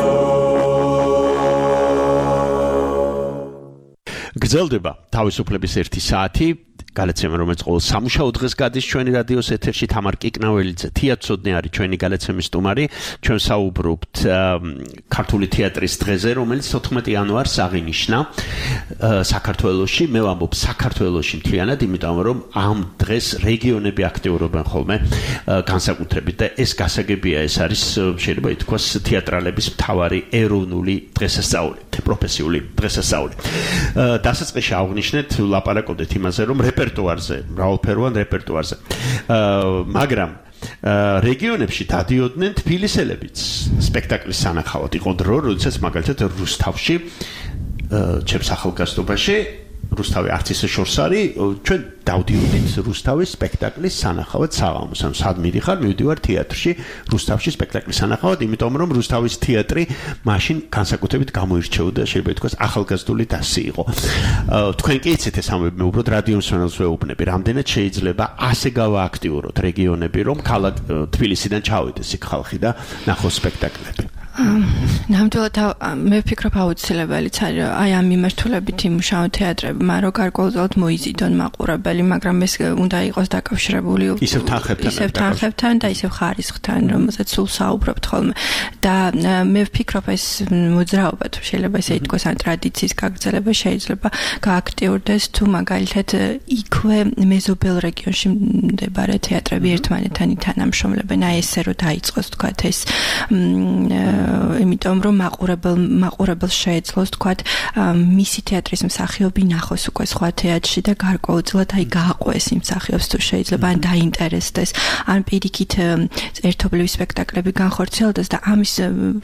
გრძელდება თავისუფლების ერთი საათი. გალაცემა რომელიც ყოველ სამუშაო დღეს გადის ჩვენი რადიოს ეთერში. თამარ კიკნაველიძე, თეატროდნე არის ჩვენი გალაცემის სტუმარი. ჩვენ საუბრობთ ქართული თეატრის დღეზე, რომელიც თოთხმეტი იანვარს აღინიშნა საქართველოში. მე ვამბობ საქართველოში მთლიანად, იმიტომ რომ ამ დღეს რეგიონები აქტიურობენ ხოლმე განსაკუთრებით და ეს გასაგებია. ეს არის შეიძლება ითქვას თეატრალების მთავარი ეროვნული დღესასწაული, პროფესიული დღესასწაული. დასაწყისში აღნიშნეთ, ლაპარაკობდით იმაზე, რომ რეპერტუარზე, მრავალფეროვან რეპერტუარზე. მაგრამ რეგიონებში დადიოდნენ თბილისელებიც სპექტაკლის სანახავად. იყო დრო, როდესაც მაგალითად რუსთავში ჩემს ახალგაზრდობაში რუსთავი არც ისე შორს არის, ჩვენ დავდიოდით რუსთავის სპექტაკლის სანახავად საღამოს. ანუ სად მიდიხარ, მივდივარ თეატრში, რუსთავში სპექტაკლის სანახავად, იმიტომ რომ რუსთავის თეატრი მაშინ განსაკუთრებით გამოირჩეოდა, შეიძლება ითქვას, ახალგაზრდული დასი იყო. თქვენ კი იცით ეს ამბები, მე უბრალოდ რადიო მსმენელს ვეუბნები, რამდენად შეიძლება ასე გავააქტიუროთ რეგიონები, რომ ქალაქ თბილისიდან ჩავიდეს იქ ხალხი და ნახოს სპექტაკლები. ნამდვილად მე ვფიქრობ აუცილებელიც არის აი ამ მიმართულებით იმუშაო თეატრები, მაგრამ გარკვეულწილად მოიზიდონ მაყურებელი, მაგრამ ეს უნდა იყოს დაკავშირებული ისევ თანხებთან, ისევ თანხებთან და ისევ ხარისხთან, რომელსაც სულ საუბრობთ ხოლმე. და მე ვფიქრობ ეს მოძრაობა თუ შეიძლება ესე ითქვას, ან ტრადიციის გაგრძელება შეიძლება გააქტიურდეს თუ მაგალითად იქვე მეზობელ რეგიონში მდებარე თეატრები ერთმანეთთან ითანამშრომლებენ, აი ესე რომ დაიწყოს თქვა ეს იმიტომ რომ მაყურებელ მაყურებელს შეეძლოს თქვათ მისი თეატრის მსახიობი ნახოს უკვე სხვა თეატრში და გარკვეულწილად აი გააყვეს იმ მსახიობს თუ შეიძლება ან დაინტერესდეს ან პირიქით ერთობლივი სპექტაკლები განხორციელდეს და ამის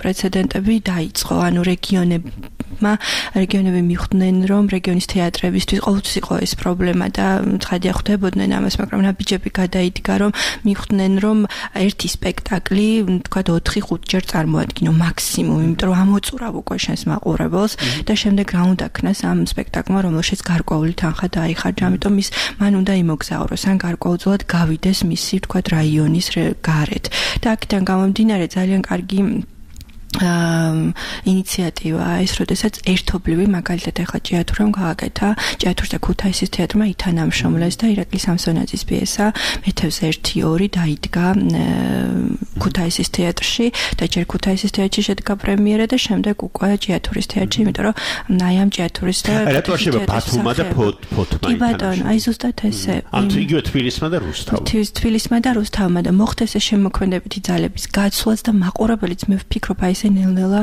პრეცედენტები დაიწყო ანუ რეგიონებმა რეგიონები მიხვდნენ რომ რეგიონის თეატრებისთვის ყოველთვის იყო ეს პრობლემა და ცხადია ხვდებოდნენ ამას მაგრამ ნაბიჯები გადაიდგა რომ მიხვდნენ რომ ერთი სპექტაკლი თქვათ ოთხი ხუთი ჯერ წარმოადგინო მაქსიმუმ, იმიტომ რომ ამოწურავ უკვე შენს მაყურებელს და შემდეგ რა უნდა ქნას ამ სპექტაკლმა, რომელშიც გარკვეული თანხა დაიხარჯა, ამიტომ ის მან უნდა იმოგზაუროს, ან გარკვეულწილად გავიდეს მისი, თქვათ, რაიონის გარეთ. და აქედან გამომდინარე ძალიან კარგი ინიციატივა ის, როდესაც ერთობლივი მაგალითად ახლა ჭიათურამ გააკეთა, ჭიათურს და ქუთაისის თეატრმა ითანამშრომლეს და ირაკლი სამსონაძის პიესა მეთევზე ერთი ორი დაიდგა ქუთაისის თეატრში და ჯერ ქუთაისის თეატრში შედგა პრემიერა და შემდეგ უკვე ჭიათურის თეატრში, იმიტომ რომ აი ამ ჭიათურის და რატო შეიძლება ბათუმმა და ფოთმა კი ბატონო, აი ზუსტად ესე. ან იგივე თბილისმა და რუსთავმა. თბილისმა და რუსთავმა და მოხდეს ეს შემოქმედებითი ძალების გაცვლაც და მაყურებელიც მე ვფიქრობ აი ნელ-ნელა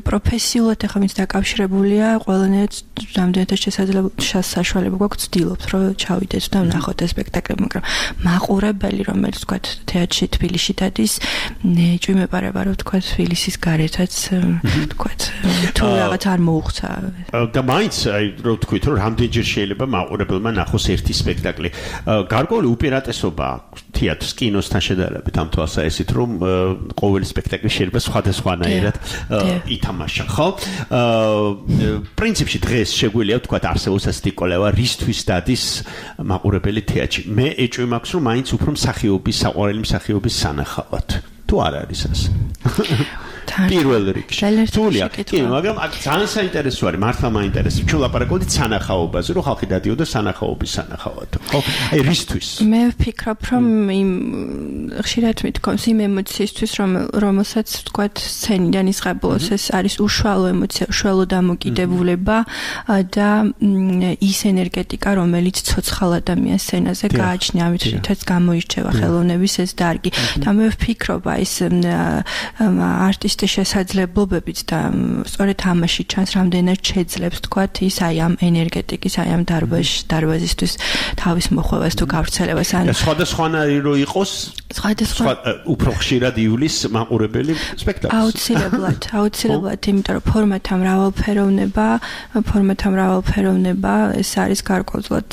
პროფესიულად ახლა ვინც დაკავშირებულია, ყველანაირად რამდენადაც შესაძლებელი საშუალება გვაქვს ვცდილობთ, რომ ჩავიდეთ და ვნახოთ ეს სპექტაკლები, მაგრამ მაყურებელი, რომელიც თქვა თეატრში თბილისში დადის, ნეჭვი მეპარება, რომ თქვა თბილისის გარეთაც თქვა თუ რაღაც არ მოუხცა. და მაინც აი რომ თქვით, რომ რამდენჯერ შეიძლება მაყურებელმა ნახოს ერთი სპექტაკლი. გარკვეული უპირატესობა თეატრს კინოსთან შედარებით ამ თვალსაზრისით, რომ ყოველი სპექტაკლი შეიძლება სხვადასხვანაირად ითამაშა, ხო? პრინციპში დღეს შეგვიძლია ვთქვათ არსებობს ასეთი კოლევა, რისთვის დადის მაყურებელი თეატრში. მე ეჭვი მაქვს, რომ მაინც უფრო მსახიობის, საყვარელი მსახიობის სანახავად. თუ არ არის ასე. პირველ რიგში. თულია, კი, მაგრამ ძალიან საინტერესო არის, მართლა მაინტერესებს. ჩვენ ლაპარაკობთ სანახაობაზე, რომ ხალხი დადიოდა სანახაობის სანახავად, ხო? აი რისთვის? მე ვფიქრობ, რომ იმ ხშირად მithქვამს იმ ემოციისთვის, რომ რომელსაც თქვათ სცენიდან ისღებულოს, ეს არის უშუალო ემოცია, უშუალო დამოკიდებულება და ის ენერგეტიკა, რომელიც ცოცხალ ადამიანს სცენაზე გააჩნია, ამით რითაც გამოირჩევა ხელოვნების ეს დარგი. და მე ვფიქრობ, აი ეს არტისტი შესაძლებლობებით და სწორედ ამაში ჩანს რამდენად შეძლებს თქვათ ის აი ამ ენერგეტიკის აი ამ დარბაზისთვის თავის მოხვევას თუ გავრცელებას ან სხვადასხვანაირი რო იყოს სხვადასხვა უფრო ხშირად ივლის მაყურებელი სპექტაკლს აუცილებლად აუცილებლად იმიტომ რომ ფორმათა მრავალფეროვნება ფორმათა მრავალფეროვნება ეს არის გარკვეულწილად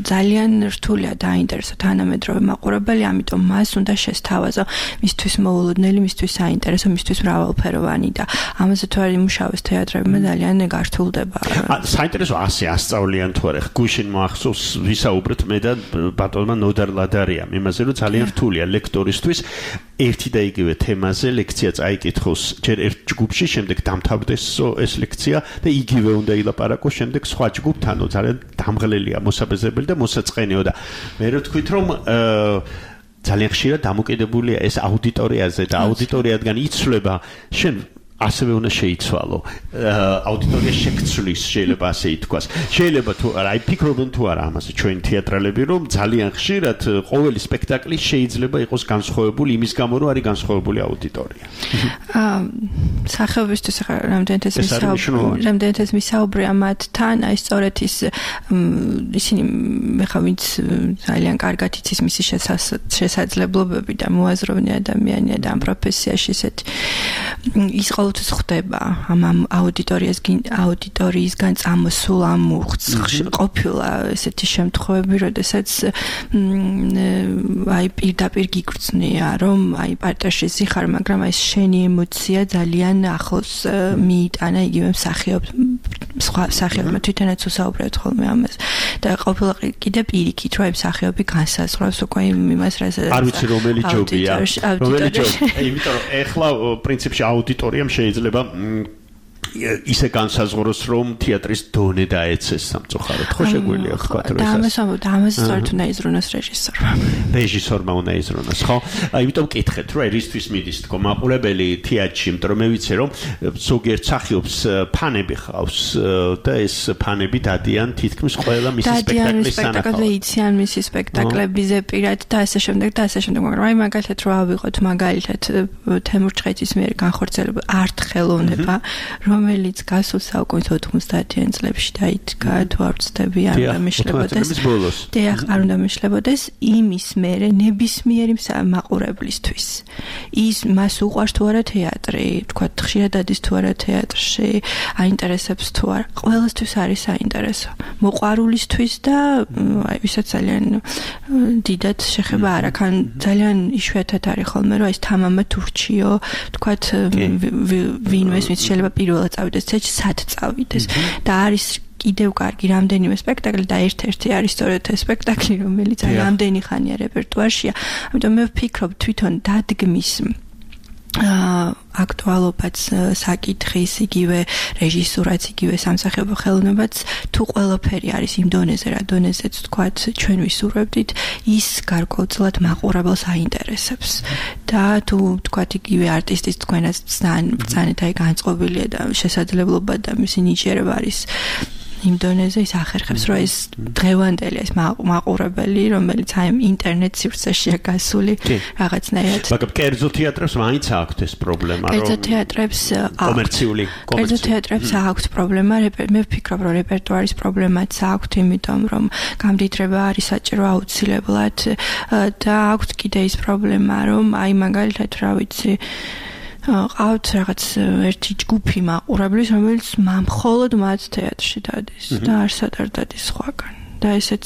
ძალიან რთულია დაინტერესო თანამედროვე მაყურებელი ამიტომ მას უნდა შესთავაზო მისთვის მოულოდნელი მისთვის საინტერესო მისთვის მრავალფეროვანი და ამაზე თუ არ იმუშავეს თეატრებმა ძალიან გართულდება. საინტერესო ასე ასწავლიან თუ არა. გუშინ მოახსოვს ვისაუბრეთ მე და ბატონმა ნოდარ ლადარიამ იმაზე რომ ძალიან რთულია ლექტორისთვის ერთი და იგივე თემაზე ლექცია წაიკითხოს ჯერ ერთ ჯგუფში, შემდეგ დამთავრდეს ეს ლექცია და იგივე უნდა ილაპარაკოს შემდეგ სხვა ჯგუფთანო ძალიან დამღლელია მოსაბეზრებელი და მოსაწყენეო და მე რო თქვით რომ ძალიან ხშირად დამოკიდებულია ეს აუდიტორიაზე და აუდიტორიადგან იცვლება შენ ასევე უნდა შეიცვალო აუდიტორიის შეკცვლის შეიძლება ასე ითქვას შეიძლება თუ არა აი ფიქრობენ თუ არა ამაზე ჩვენ თეატრალები რომ ძალიან ხშირად ყოველი სპექტაკლი შეიძლება იყოს განსხვავებული იმის გამო რომ არის განსხვავებული აუდიტორია აა სახეობისთვის ახლა რამდენიც რამდენიც მისაუბრია მათთან აი სწორედ ის ისინი ხა ვინც ძალიან კარგად იცის მისი შესაძლებლობები და მოაზროვნე ადამიანია და ამ პროფესიაში ესეთი ის ყოველთვის ხდება ამ აუდიტორიას აუდიტორიისგან წამოსულ ამ ყოფილა ესეთი შემთხვევები, როდესაც აი პირდაპირ გიგრძნია, რომ აი პარტიაში ზიხარ, მაგრამ აი შენი ემოცია ძალიან ახლოს მიიტანა იგივე მსახიობს სხვა მსახიობმა თვითონაც უსაუბრეთ ხოლმე ამას და ყოფილა კიდე პირიქით, რომ აი მსახიობი განსაზღვრავს უკვე იმას, რასაც არ ვიცი რომელი ჯობია, რომელი ჯობია, იმიტომ რომ ეხლა პრინციპში აუდიტორიამ შეიძლება ისე განსაზღვროს რომ თეატრის დონე დაეცეს სამწუხაროდ ხო შეგვიძლია ვთქვა რომ ეს ამას ამბობ ამას სწორედ უნდა იზრუნოს რეჟისორმა რეჟისორმა უნდა იზრუნოს ხო იმიტომ ვკითხეთ რომ ერისთვის მიდის თქო მაყურებელი თეატრში იმიტომ რომ მე ვიცი რომ ზოგიერთ მსახიობს ფანები ხავს და ეს ფანები დადიან თითქმის ყველა მისი სპექტაკლის სანახავად იციან მისი სპექტაკლებზე პირად და ასე შემდეგ და ასე შემდეგ მაგრამ აი მაგალითად რო ავიღოთ მაგალითად თემურ ჭყეთის მიერ განხორციელებული არტ-ხელოვნება რომელიც გასულ საუკუნის ოთხმოცდაათიან წლებში დაიდგა თუ არ ვცდები არ უნდა მიშლებოდეს დიახ არ უნდა მიშლებოდეს იმის მერე ნებისმიერი მაყურებლისთვის ის მას უყვარს თუ არა თეატრი თქვა ხშირად დადის თუ არა თეატრში აინტერესებს თუ არა ყველასთვის არის საინტერესო მოყვარულისთვის და აი ვისაც ძალიან დიდად შეხება არ აქ ან ძალიან იშვიათად არის ხოლმე რომ ეს თამამა თურქიო თქვა ვინმეს ვინც შეიძლება პირველად წავიდეს ცეჩი სად წავიდეს და არის კიდევ კარგი რამდენიმე სპექტაკლი და ერთ-ერთი არის სწორედ ეს სპექტაკლი რომელიც აი რამდენი ხანია რეპერტუარშია ამიტომ მე ვფიქრობ თვითონ დადგმის აქტუალობაც საკითხის იგივე რეჟისურაც იგივე სამსახიობო ხელოვნებაც თუ ყველაფერი არის იმ დონეზე რა დონეზეც თქვათ ჩვენ ვისურვებდით ის გარკვეულწილად მაყურებელს აინტერესებს და თუ თქვათ იგივე არტისტის თქვენაც ბრძანეთ აი განწყობილია და შესაძლებლობა და მისი ნიჭიერება არის იმ დონეზე ის ახერხებს რომ ეს დღევანდელი ეს მაყურებელი რომელიც აი ინტერნეტ სივრცეშია გასული რაღაცნაირად მაგრამ კერძო თეატრებს მაინც აქვთ ეს პრობლემა რომ კერძო თეატრებს კომერციული კერძო თეატრებს აქვთ პრობლემა მე ვფიქრობ რომ რეპერტუარის პრობლემაც აქვთ იმიტომ რომ გამდიდრება არის საჭირო აუცილებლად და აქვთ კიდე ის პრობლემა რომ აი მაგალითად რა ვიცი ყავთ რაღაც ერთი ჯგუფი მაყურებლის რომელიც მხოლოდ მათ თეატრში დადის და არსად არ დადის სხვაგან და ესეც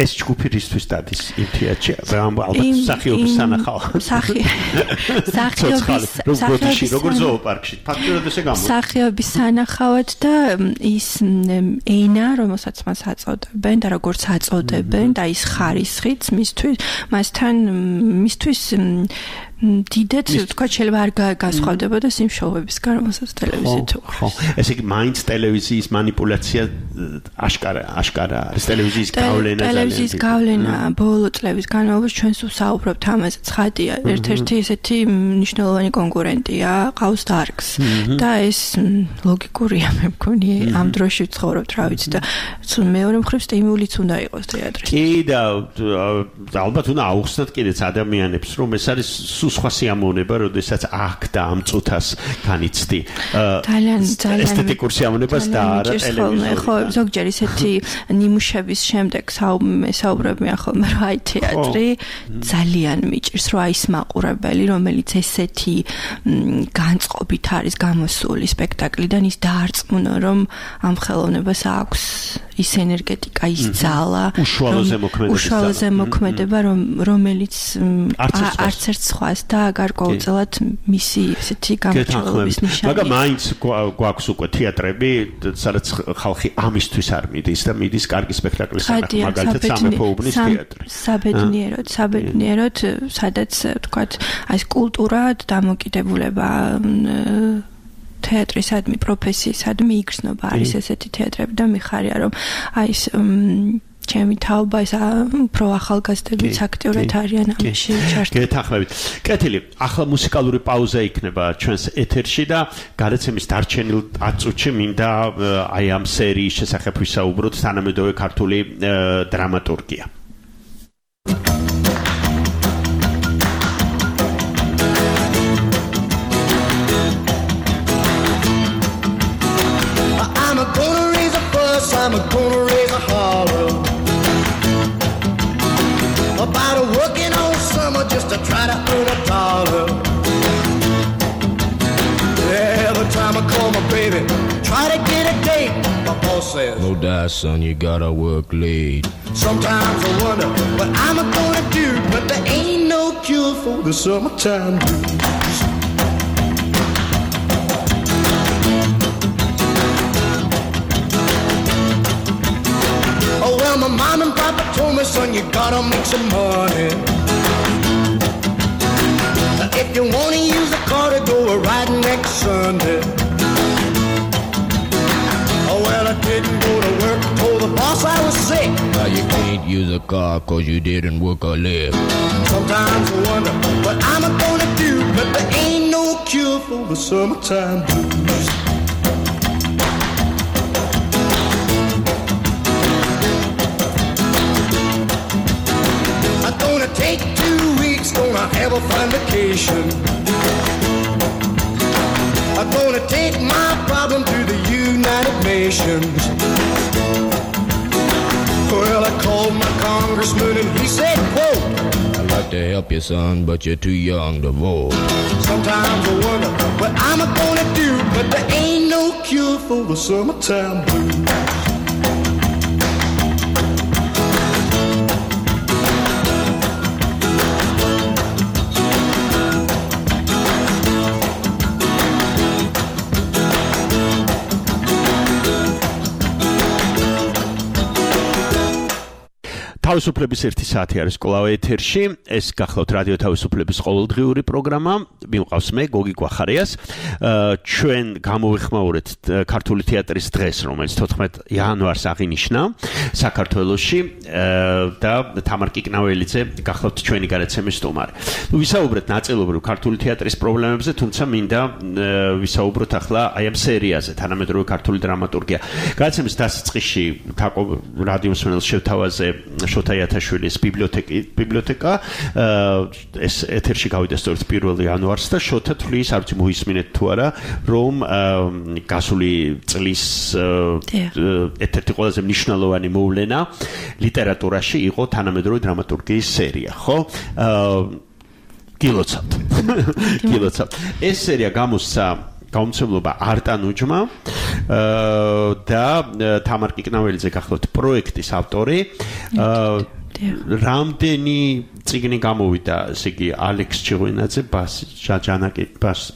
ეს ჯგუფი რისთვის დადის იმ თეატრში ალბათ მსახიობის სანახავად მსახიობის მსახიობის როგორ ზოოპარკში ფაქტობრივად ესე გამოდის მსახიობის სანახავად და ის ენა რომელსაც მას აწოდებენ და როგორც აწოდებენ და ის ხარისხიც მისთვის მასთან მისთვის დიდეთ თქვა შეიძლება არ გასხვავდებოდა იმ შოუებისგან რომელსაც ტელევიზიით ხო ესე იგი მაინც ტელევიზიის манипуляция აშკარა აშკარა არის ტელევიზიის გავლენა ტელევიზიის გავლენა ბოლო წლების განმავლობაში ჩვენს ვსაუბრობთ ამაზე ცხადია ერთ-ერთი ესეთი მნიშვნელოვანი კონკურენტია ყავს დარგს და ეს ლოგიკურია მე მგონი ამ დროში ვცხოვრობთ რა ვიცი და მეორე მხრივ სტიმულიც უნდა იყოს თეატრის კი და ალბათ უნდა აუხსნათ კიდეც ადამიანებს რომ ეს არის სხვა სიამოვნება, როდესაც აქ და ამ წუთას განიცდი. ძალიან ძალიან ესთეტიკურ სიამოვნებას და არა ტელევიზორში. ხო, ზოგჯერ ისეთი ნიმუშების შემდეგ საუბრებია ხოლმე, რომ აი თეატრი ძალიან მიჭირს, რომ აი ის მაყურებელი, რომელიც ესეთი განწყობით არის გამოსული სპექტაკლიდან, ის დაარწმუნა, რომ ამ ხელოვნებას აქვს ის ენერგეტიკა, ის ძალა, უშუალო ზემოქმედება, რომელიც არც ერთ სხვას და გარკვეულწილად მისი ესეთი გამორჩეულობის ნიშანია. მაგრამ მაინც გვაქვს უკვე თეატრები, სადაც ხალხი ამისთვის არ მიდის და მიდის კარგი სპექტაკლის სანახავად, მაგალითად სამეფო უბნის თეატრი. საბედნიეროდ, საბედნიეროდ, სადაც თქვათ, აი კულტურა დამოკიდებულება თეატრისადმი პროფესიისადმი იგრძნობა არის ესეთი თეატრები და მიხარია რომ აი ეს ჩემი თაობა ეს უფრო ახალგაზრდებიც აქტიურად არიან ამაში ჩართული. გეთანხმებით. კეთილი, ახლა მუსიკალური პაუზა იქნება ჩვენს ეთერში და გადაცემის დარჩენილ ათ წუთში მინდა აი ამ სერიის შესახებ ვისაუბროთ თანამედროვე ქართული დრამატურგია. I'm gonna raise a holler about a working all summer just to try to earn a dollar. Every time I call my baby, try to get a date, my boss says, no die, son, you gotta work late. Sometimes I wonder what I'm gonna do, but there ain't no cure for the summertime blues. My mom and papa told me, son, you gotta make some money. If you wanna use a car to go a ride next Sunday. Oh, well, I didn't go to work, told the boss I was sick. Now you can't use a car cause you didn't work or live. Sometimes I wonder what I'm gonna do, but there ain't no cure for the summertime blues. Take two weeks, gonna have a fun vacation. I'm gonna take my problem to the United Nations. Well, I called my congressman and he said, quote, I'd like to help you, son, but you're too young to vote. Sometimes I wonder what I'm gonna do, but there ain't no cure for the summertime blues. თავისუფლების ერთი საათი არის კვლავ ეთერში. ეს გახლავთ რადიო თავისუფლების ყოველდღიური პროგრამა. მიმყავს მე გოგი კვახარიას. ჩვენ გამოვიხმაურეთ ქართული თეატრის დღეს, რომელიც თოთხმეტ იანვარს აღინიშნა საქართველოში და თამარ კიკნაველიძე გახლავთ ჩვენი გადაცემის სტუმარი. ნუ ვისაუბრეთ ნაწილობრივ ქართული თეატრის პრობლემებზე, თუმცა მინდა ვისაუბროთ ახლა აი ამ სერიაზე თანამედროვე ქართული დრამატურგია. გადაცემის დასაწყისში რადიო მსმენელს შევთავაზე შოთა იათაშვილის ბიბლიოთეკა ეს ეთერში გავიდა სწორედ პირველ იანვარს და შოთა თვლის არ ვიცი მოისმინეთ თუ არა რომ გასული წლის ერთ-ერთი ყველაზე მნიშვნელოვანი მოვლენა ლიტერატურაში იყო თანამედროვე დრამატურგიის სერია, ხო? გილოცავთ. გილოცავთ. ეს სერია გამოსცა გამომცემლობა არტანუჯმა და თამარ კიკნაველიძე გახლავთ პროექტის ავტორი. რამდენი წიგნი გამოვიდა, ესე იგი ალექს ჩიღვინაძე, ბასჯანაკი,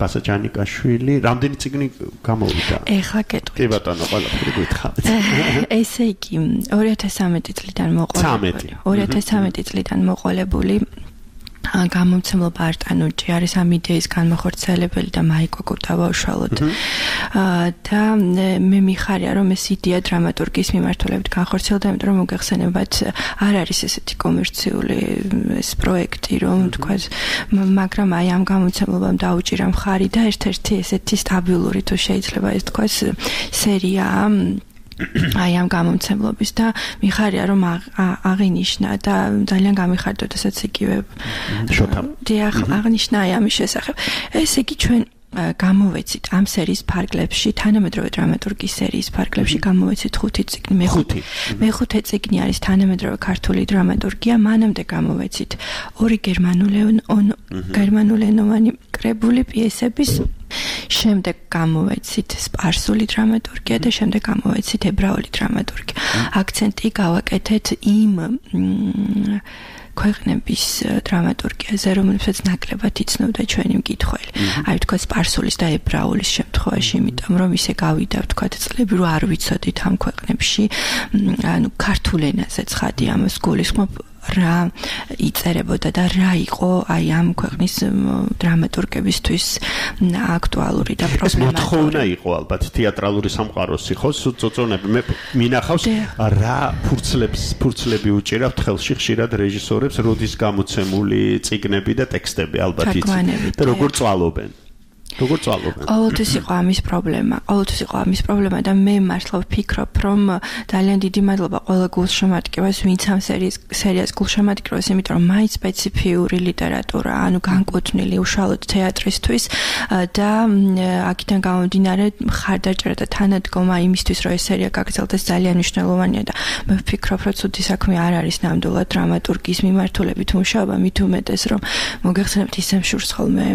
ბასაჯანიკაშვილი, რამდენი წიგნი გამოვიდა? ეხლა გეტყვით. კი ბატონო, ყველაფერი გითხავთ. ესე იგი ორი ათას სამეტი წლიდან მოყოლებული. ორი ათას სამეტი წლიდან მოყოლებული გამომცემლობა არტანუჯი არის ამ იდეის განმახორციელებელი და მაიკო კუტავა უშუალოდ. და მე მიხარია რომ ეს იდეა დრამატურგიის მიმართულებით განხორციელდა, იმიტომ რომ მოგეხსენებათ არ არის ესეთი კომერციული ეს პროექტი, რომ თქვა, მაგრამ აი ამ გამომცემლობამ დაუჭირა მხარი და ერთ-ერთი ესეთი სტაბილური თუ შეიძლება ეს თქვა სერია აი ამ გამომცემლობის და მიხარია რომ აღინიშნა და ძალიან გამიხარდა შესაძ იგივე შოთა დიახ აღნიშნა აი ამის შესახებ. ესე იგი ჩვენ გამოვეცით ამ სერიის ფარგლებში, თანამედროვე დრამატურგიის სერიის ფარგლებში გამოვეცით ხუთი წიგნი. მეხუთე მეხუთე წიგნი არის თანამედროვე ქართული დრამატურგია, მანამდე გამოვეცით ორი გერმანულენოვანი კრებული პიესების, შემდეგ გამოვეცით სპარსული დრამატურგია და შემდეგ გამოვეცით ებრაული დრამატურგია. აქცენტი გავაკეთეთ იმ ქვეყნების დრამატურგიაზე, რომლებსაც ნაკლებად იცნობდა ჩვენი მკითხველი. აი თქვა სპარსულის და ებრაულის შემთხვევაში, იმიტომ რომ ისე გავიდა თქვა წლები რო არ ვიცოდით ამ ქვეყნებში, ანუ ქართულ ენაზე ცხადი ამას გულისხმობ რა იწერებოდა და რა იყო აი ამ ქვეყნის დრამატურგებისთვის აქტუალური და პრობლემატური. ეს მოთხოვნა იყო ალბათ თეატრალური სამყაროს ხო წოწონები მე მინახავს რა ფურცლებს ფურცლები უჭირავთ ხელში ხშირად რეჟისორებს როდის გამოცემული წიგნები და ტექსტები ალბათ იცით და როგორ წვალობენ როგორ წვალობენ? ყოველთვის იყო ამის პრობლემა. ყოველთვის იყო ამის პრობლემა და მე მართლა ვფიქრობ, რომ ძალიან დიდი მადლობა ყველა გულშემატკივარს, ვინც ამ სერიის სერიას გულშემატკივარს, იმიტომ რომ მაინც სპეციფიური ლიტერატურა, ანუ განკუთვნილი უშუალოდ თეატრისთვის და აქედან გამომდინარე მხარდაჭერა და თანადგომა იმისთვის, რომ ეს სერია გაგრძელდეს ძალიან მნიშვნელოვანია და მე ვფიქრობ, რომ ცუდი საქმე არ არის ნამდვილად დრამატურგიის მიმართულებით მუშაობა, მით უმეტეს რომ მოგეხსენებთ ისე შურს ხოლმე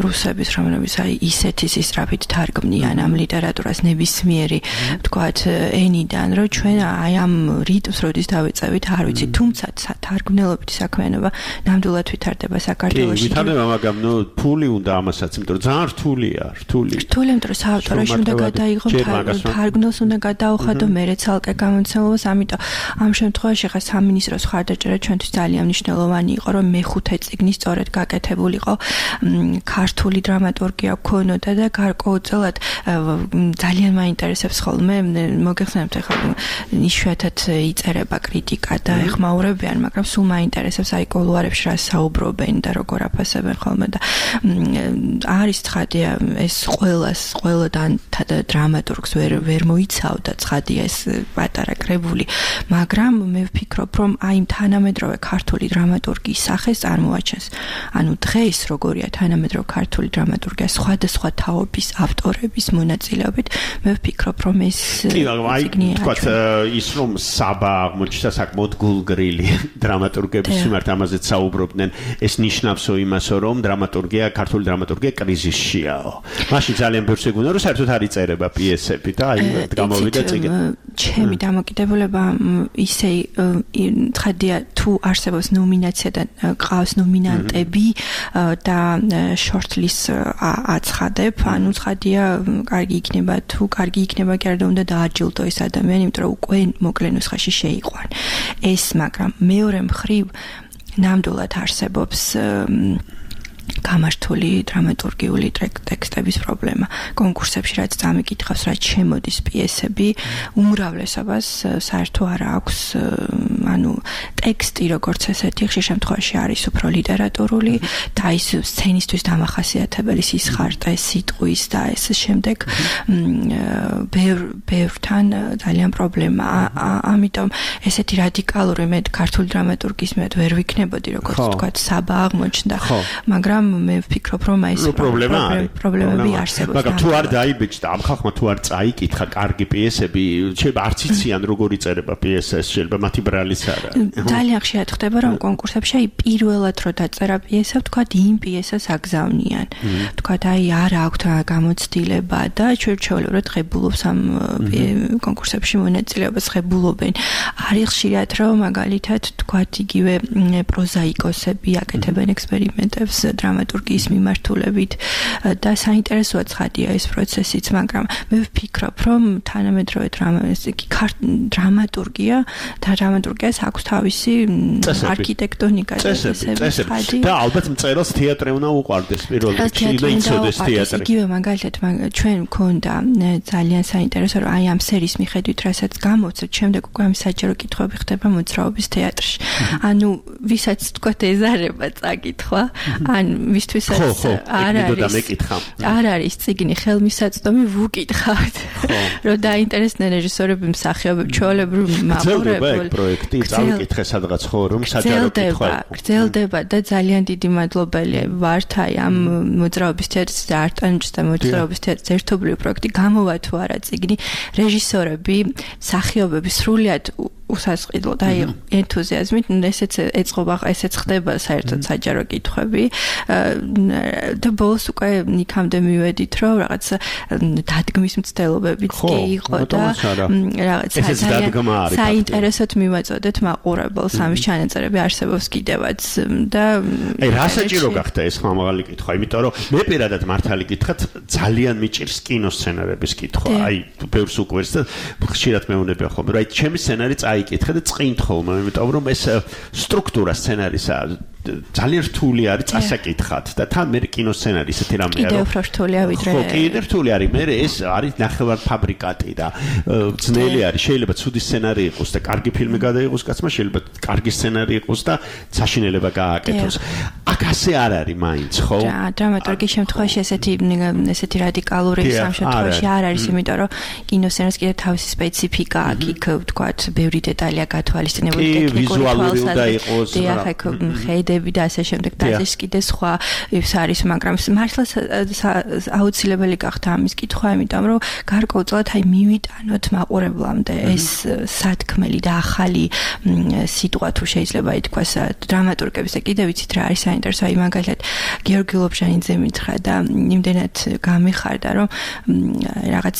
რუსების რომელიც აი ისეთი სისწრაფით თარგმნიან ამ ლიტერატურას ნებისმიერი თქვათ ენიდან რომ ჩვენ აი ამ რიტმს როდის დავეწევით არ ვიცი თუმცა თარგმნელობითი საქმიანობა ნამდვილად ვითარდება საქართველოში კი ვითარდება მაგრამ ნუ ფული უნდა ამასაც იმიტომ რომ ძალიან რთულია რთული რთული იმიტომ რომ საავტოროში უნდა გადაიღო თარგმნელს უნდა გადაუხადო მერე ცალკე გამოცემობას ამიტომ ამ შემთხვევაში ხა სამინისტროს ხარდაჭერა ჩვენთვის ძალიან მნიშვნელოვანი იყო რომ მეხუთე წიგნი სწორედ გაკეთებულიყო ქართული დრამატურგია გქონოდა და გარკვეულწილად ძალიან მაინტერესებს ხოლმე მოგეხსენებთ ახლა იშვიათად იწერება კრიტიკა და ეხმაურებიან მაგრამ სულ მაინტერესებს აი კულუარებში რა საუბრობენ და როგორ აფასებენ ხოლმე და არის ცხადია ეს ყველას ყველადან დრამატურგს ვერ ვერ მოიცავდა ცხადია ეს პატარა კრებული მაგრამ მე ვფიქრობ რომ აი თანამედროვე ქართული დრამატურგიის სახეს წარმოაჩენს ანუ დღეს როგორია თანამედროვე ქართული დრამატურგია სხვადასხვა თაობის ავტორების მონაწილეობით მე ვფიქრობ რომ ეს ციგნი თქვათ ის რომ საბა აღმოჩნდა საკმაოდ გულგრილი დრამატურგების მიმართ ამაზეც საუბრობდნენ ეს ნიშნავსო იმასო რომ დრამატურგია ქართული დრამატურგია კრიზისშიაო მაშინ ძალიან ბევრს ეგუნა რომ საერთოდ არ იწერება პიესები და აი გამოვიდა წიგნი ჩემი დამოკიდებულება ისე ცხადია თუ არსებობს ნომინაცია და ყავს ნომინანტები და shortlist აცხადებ, ანუ ცხადია, კარგი იქნება თუ კარგი იქნება კი არა და უნდა დააჯილდო ეს ადამიანი, იმიტომ რომ უკვე მოკლე ნუსხაში შეიყვან. ეს, მაგრამ მეორე მხრივ ნამდვილად არსებობს გამართული დრამატურგიული ტექსტების პრობლემა. კონკურსებში რაც წამიკითხავს, რაც შემოდის პიესები, უმრავლესობას საერთო არ აქვს, ანუ ტექსტი როგორც ესეთი ხშირ შემთხვევაში არის უფრო ლიტერატურული და ის სცენისთვის დამახასიათებელი სისხარტე, სიტყვის და ეს შემდეგ ბევრ ბევრთან ძალიან პრობლემა. ამიტომ ესეთი რადიკალური მე ქართული დრამატურგის მე ვერ ვიქნებოდი, როგორც თქვა, საბა აღმოჩნდა, მაგრამ მე ვფიქრობ რომ ეს პრობლემები არსებობს. მაგრამ თუ არ დაიბეჭდა ამ ხალხმა თუ არ წაიკითხა კარგი პიესები, შეიძლება არც იციან როგორ იწერება პიესა, შეიძლება მათი ბრალიც არა. ძალიან ხშირად ხდება რომ კონკურსებში აი პირველად რო დაწერა პიესა, თქვა იმ პიესას აგზავნიან. თქვა აი არ აქვთ გამოცდილება და ჩვენ ჩვეულებრივად ღებულობს ამ კონკურსებში მონაწილეობას ღებულობენ. არის ხშირად რომ მაგალითად თქვა იგივე პროზაიკოსები აკეთებენ ექსპერიმენტებს დრამატურგიის მიმართულებით და საინტერესოა ცხადია ეს პროცესიც, მაგრამ მე ვფიქრობ, რომ თანამედროვე დრამატურგია და დრამატურგიას აქვს თავისი არქიტექტონიკა და წესები და ალბათ მწერალს თეატრი უნდა უყვარდეს პირველ რიგში და იცოდეს თეატრი. იგივე მაგალითად ჩვენ მქონდა ძალიან საინტერესო რომ აი ამ სერიის მიხედვით რასაც გამოვცეთ, შემდეგ უკვე ამ საჯარო კითხვები ხდება მოძრაობის თეატრში. ანუ ვისაც თქვა ეზარება წაკითხვა, ან ვისთვისაც არ არის არ არის წიგნი ხელმისაწვდომი ვუკითხავთ რომ დაინტერესდნენ რეჟისორები მსახიობები ჩვეულებრივ მაყურებელ პროექტი წავიკითხე სადღაც ხო რომ საჯარო კითხვა გრძელდება და ძალიან დიდი მადლობელი ვართ აი ამ მოძრაობის თეატრის და არტანჯის და მოძრაობის თეატრის ერთობლივი პროექტი გამოვა თუ არა წიგნი რეჟისორები მსახიობები სრულიად უსასყიდლო და ენთუზიაზმით ესეც ეწყობა ესეც ხდება საერთოდ საჯარო კითხვები და ბოლოს უკვე იქამდე მივედით რომ რაღაც დადგმის მცდელობებიც კი იყო და რაღაც საინტერესოდ მივაწოდეთ მაყურებელს ამის ჩანაწერები არსებობს კიდევაც და აი რა საჭირო გახდა ეს ხმამაღალი კითხვა იმიტომ რომ მე პირადად მართალი გითხრათ ძალიან მიჭირს კინოსცენარების კითხვა აი ბევრს უკვირს და ხშირად მეუბნები ხოლმე რომ აი ჩემი სცენარი წაიკითხე და წყინთ ხოლმე, იმიტომ რომ ეს სტრუქტურა სცენარისა ძალიან რთული არის წასაკითხად და თან მე კინოსცენარი ისეთი რამე არის. კიდევ უფრო რთულია ვიდრე. ხო, კიდევ რთული არის. მე ეს არის ნახევარფაბრიკატი და ძნელი არის. შეიძლება ცუდი სცენარი იყოს და კარგი ფილმი გადაიღოს კაცმა, შეიძლება კარგი სცენარი იყოს და საშინელება გააკეთოს. აქ ასე არ არის მაინც, ხო? რა, დრამატურგიის შემთხვევაში ესეთი ესეთი რადიკალური სამ შემთხვევაში არ არის, იმიტომ რომ კინოსცენარს კიდევ თავისი სპეციფიკა აქვს, იქ ვთქვათ, ბევრი დეტალია გათვალისწინებული ტექნიკური თვალსაზრისით. და ასე შემდეგ და ეს კიდე სხვა ის არის, მაგრამ მართლა აუცილებელი გახდა ამის კითხვა, იმიტომ რომ გარკვეულწილად აი მივიტანოთ მაყურებლამდე ეს სათქმელი და ახალი სიტყვა თუ შეიძლება ითქვას დრამატურგების და კიდე ვიცით რა არის საინტერესო, აი მაგალითად გიორგი ლობჟანიძე მითხრა და იმდენად გამიხარდა, რომ რაღაც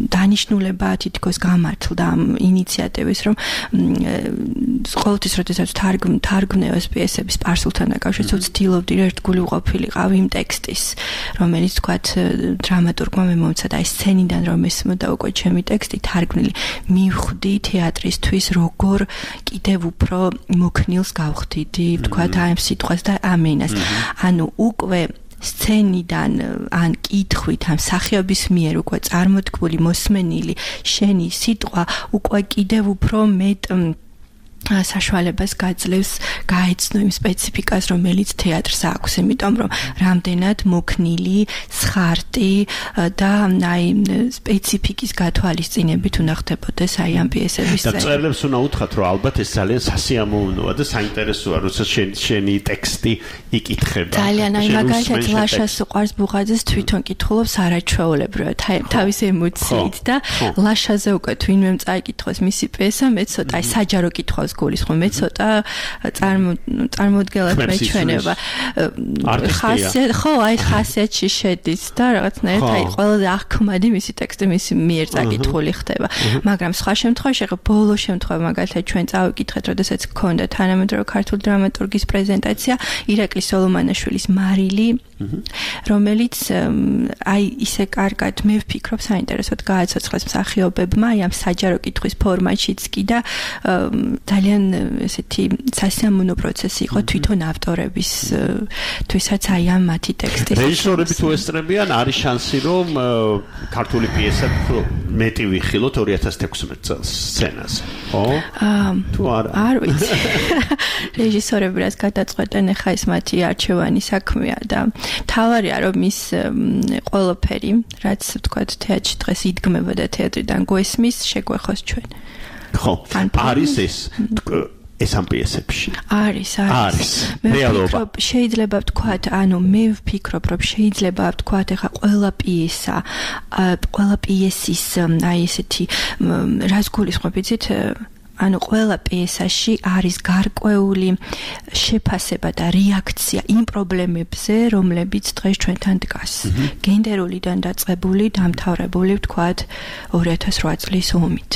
დანიშნულება თითქოს გამართლდა ამ ინიციატივის, რომ ყოველთვის როდესაც თარგმ თარგმნევს პიესები სპარსულთან დაკავშირებით ვცდილობდი ერთგული ვყოფილიყავი იმ ტექსტის, რომელიც თქვათ დრამატურგმა მე მომცა და აი სცენიდან რომ ესმოდა უკვე ჩემი ტექსტი თარგმნილი, მივხვდი თეატრისთვის როგორ კიდევ უფრო მოქნილს გავხდიდი, ვთქვათ აი ამ სიტყვას და ამენას. ანუ უკვე სცენიდან ან კითხვით ამ სახეობის მიერ უკვე წარმოთქმული მოსმენილი შენი სიტყვა უკვე კიდევ უფრო მეტ საშუალებას გაძლევს გაეცნო იმ სპეციფიკას, რომელიც თეატრს აქვს, იმიტომ რომ რამდენად მოქნილი, სხარტი და აი სპეციფიკის გათვალისწინებით უნდა ხდებოდეს აი ამ პიესების წერა. და წერლებს უნდა უთხრათ, რომ ალბათ ეს ძალიან სასიამოვნოა და საინტერესოა, როცა შენი ტექსტი იკითხება. ძალიან აი მაგალითად ლაშას უყვარს ბუღაძეს თვითონ კითხულობს არაჩვეულებრივად თავის ემოციით და ლაშაზე უკვე თუ ვინმე წაიკითხოს მისი პიესა, მე ცოტა აი საჯარო კითხვას გულის ხომ მე ცოტა წარმოუდგენლად მეჩვენება. ხასიათი ხო აი ხასიათში შედის და რაღაცნაირად აი ყველაზე აღქმადი მისი ტექსტი მისი მიერ წაკითხული ხდება. მაგრამ სხვა შემთხვევაში ხო ბოლო შემთხვევა მაგალითად ჩვენ წავიკითხეთ, როდესაც გქონდა თანამედროვე ქართული დრამატურგის პრეზენტაცია ირაკლი სოლომანაშვილის მარილი, რომელიც აი ისე კარგად მე ვფიქრობ საინტერესოდ გააცოცხლეს მსახიობებმა აი ამ საჯარო კითხვის ფორმატშიც კი და ძალიან ესეთი სასიამოვნო პროცესი იყო თვითონ ავტორების თვისაც აი ამ მათი ტექსტის. რეჟისორები თუ ესწრებიან, არის შანსი რომ ქართული პიესა მეტი ვიხილოთ ორი ათას თექვსმეტ წელს სცენაზე. ხო? თუ არა? არ ვიცი. რეჟისორები რაც გადაწყვეტენ, ახლა ეს მათი არჩევანი საქმეა და თავარია რომ ის ყველაფერი, რაც ვთქვათ თეატრში დღეს იდგმება და თეატრიდან გვესმის, შეგვეხოს ჩვენ. ხო, არის ეს ეს ამ პიესებში. არის, არის. მე ვფიქრობ, შეიძლება ვთქვათ, ანუ მე ვფიქრობ, რომ შეიძლება ვთქვათ, ახლა ყველა პიესა, ყველა პიესის აი ესეთი რას გულისხმობ, იცით? ანუ ყველა პიესაში არის გარკვეული შეფასება და რეაქცია იმ პრობლემებზე, რომლებიც დღეს ჩვენთან დგას. გენდერულიდან დაწყებული, დამთავრებული, ვთქვათ, ორი ათას რვა წლის ომით.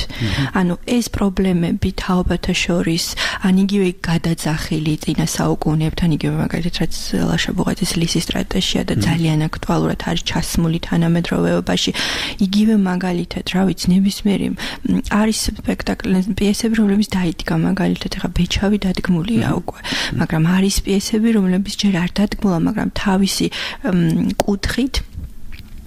ანუ ეს პრობლემები თაობათა შორის, ან იგივე გადაძახილი წინა საუკუნეებთან, იგივე მაგალითად, რაც ლაშა ბუღაძის ლისის სტრატეჟია და ძალიან აქტუალურად არის ჩასმული თანამედროვეობაში. იგივე მაგალითად, რა ვიცი, ნებისმიერი არის სპექტაკლი, პიესები რომლებიც დაიდგა მაგალითად ახლა ბეჩავი დადგმულია უკვე, მაგრამ არის პიესები რომლებიც ჯერ არ დადგმულა, მაგრამ თავისი კუთხით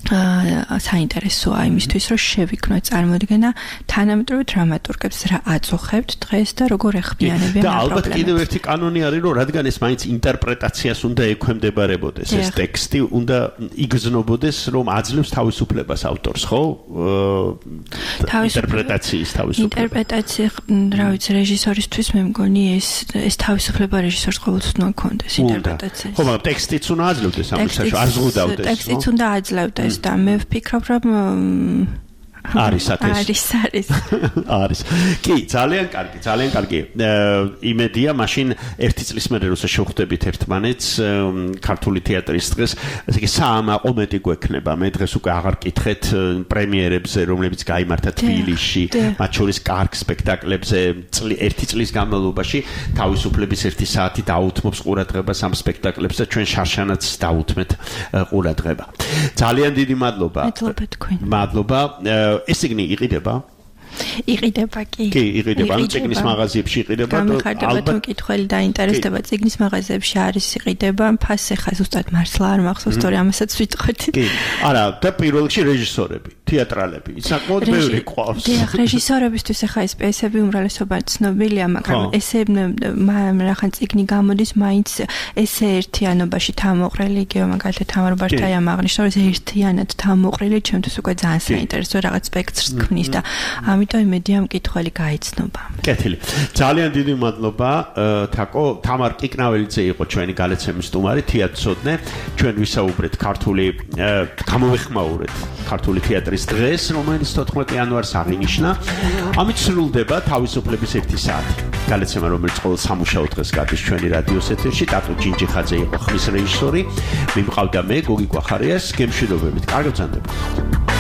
საინტერესოა იმისთვის, რომ შევიქნო წარმოდგენა თანამედროვე დრამატურგებს რა აწუხებთ დღეს და როგორ ეხმიანებიან ამ პრობლემებს. და ალბათ კიდევ ერთი კანონი არის, რომ რადგან ეს მაინც ინტერპრეტაციას უნდა ექვემდებარებოდეს, ეს ტექსტი უნდა იგრძნობოდეს, რომ აძლევს თავისუფლებას ავტორს, ხო? ინტერპრეტაციის თავისუფლება. ინტერპრეტაცია, რა ვიცი, რეჟისორისთვის მე მგონი ეს ეს თავისუფლება რეჟისორს ყოველთვის უნდა ჰქონდეს ინტერპრეტაციის. ხო, მაგრამ ტექსტიც უნდა აძლევდეს ამ შემთხვევაში, არ ზღუდავდეს. ტექსტიც უნდა აძლევდეს. და მე ვფიქრობ, რომ არის ათეს. არის, არის. არის. კი, ძალიან კარგი, ძალიან კარგი. იმედია, მაშინ ერთი წლის მერე როცა შევხვდებით ერთმანეთს ქართული თეატრის დღეს, ესე იგი საამაყო მეტი გვექნება. მე დღეს უკვე აღარ კითხეთ პრემიერებზე, რომლებიც გაიმართა თბილისში, მათ შორის კარგ სპექტაკლებზე, ერთი წლის განმავლობაში თავისუფლების ერთი საათი დაუთმობს ყურადღებას ამ სპექტაკლებს და ჩვენ შარშანაც დაუთმეთ ყურადღება. ძალიან დიდი მადლობა. მადლობა თქვენ. მადლობა. ეს ციგნი იყიდება? იყიდება კი. კი, იყიდება. ანუ ციგნის მაღაზიებში იყიდება. გამიხარდება თუ მკითხველი დაინტერესდება ციგნის მაღაზიებში არის იყიდება. ფასი ხა ზუსტად მართლა არ მახსოვს, თორე ამასაც ვიტყვეთ. კი. არა, და პირველ რიგში რეჟისორები, თეატრალები. საკმაოდ ბევრი ყავს. დიახ, რეჟისორებისთვის ხა ეს პიესები უმრავლესობა ცნობილია, მაგრამ ესე რახან ციგნი გამოდის, მაინც ესე ერთიანობაში თამოყრილი, იგივე მაგალითად თამარ ბართაიამ აღნიშნა, რომ ერთიანად თამოყრილი ჩემთვის უკვე ძალიან საინტერესო რაღაც სპექტრს ქმნის და ამიტომ იმედია მკითხველი გაიცნობა. კეთილი. ძალიან დიდი მადლობა თაკო, თამარ კიკნაველიძე იყო ჩვენი გალაცემის სტუმარი, თეატრცოდნე. ჩვენ ვისაუბრეთ ქართული გამოვეხმაურეთ ქართული თეატრის დღეს, რომელიც თოთხმეტი იანვარს აღინიშნა. ამით სრულდება თავისუფლების ერთი საათი. გალაცემა, რომელიც ყოველ სამუშაო დღეს გადის ჩვენი რადიოს ეთერში, ტატო ჯინჯიხაძე იყო ხმის რეჟისორი. მიმყავდა მე გოგი კვახარიას, გემშვიდობებით. კარგად გრძანდებოდეთ.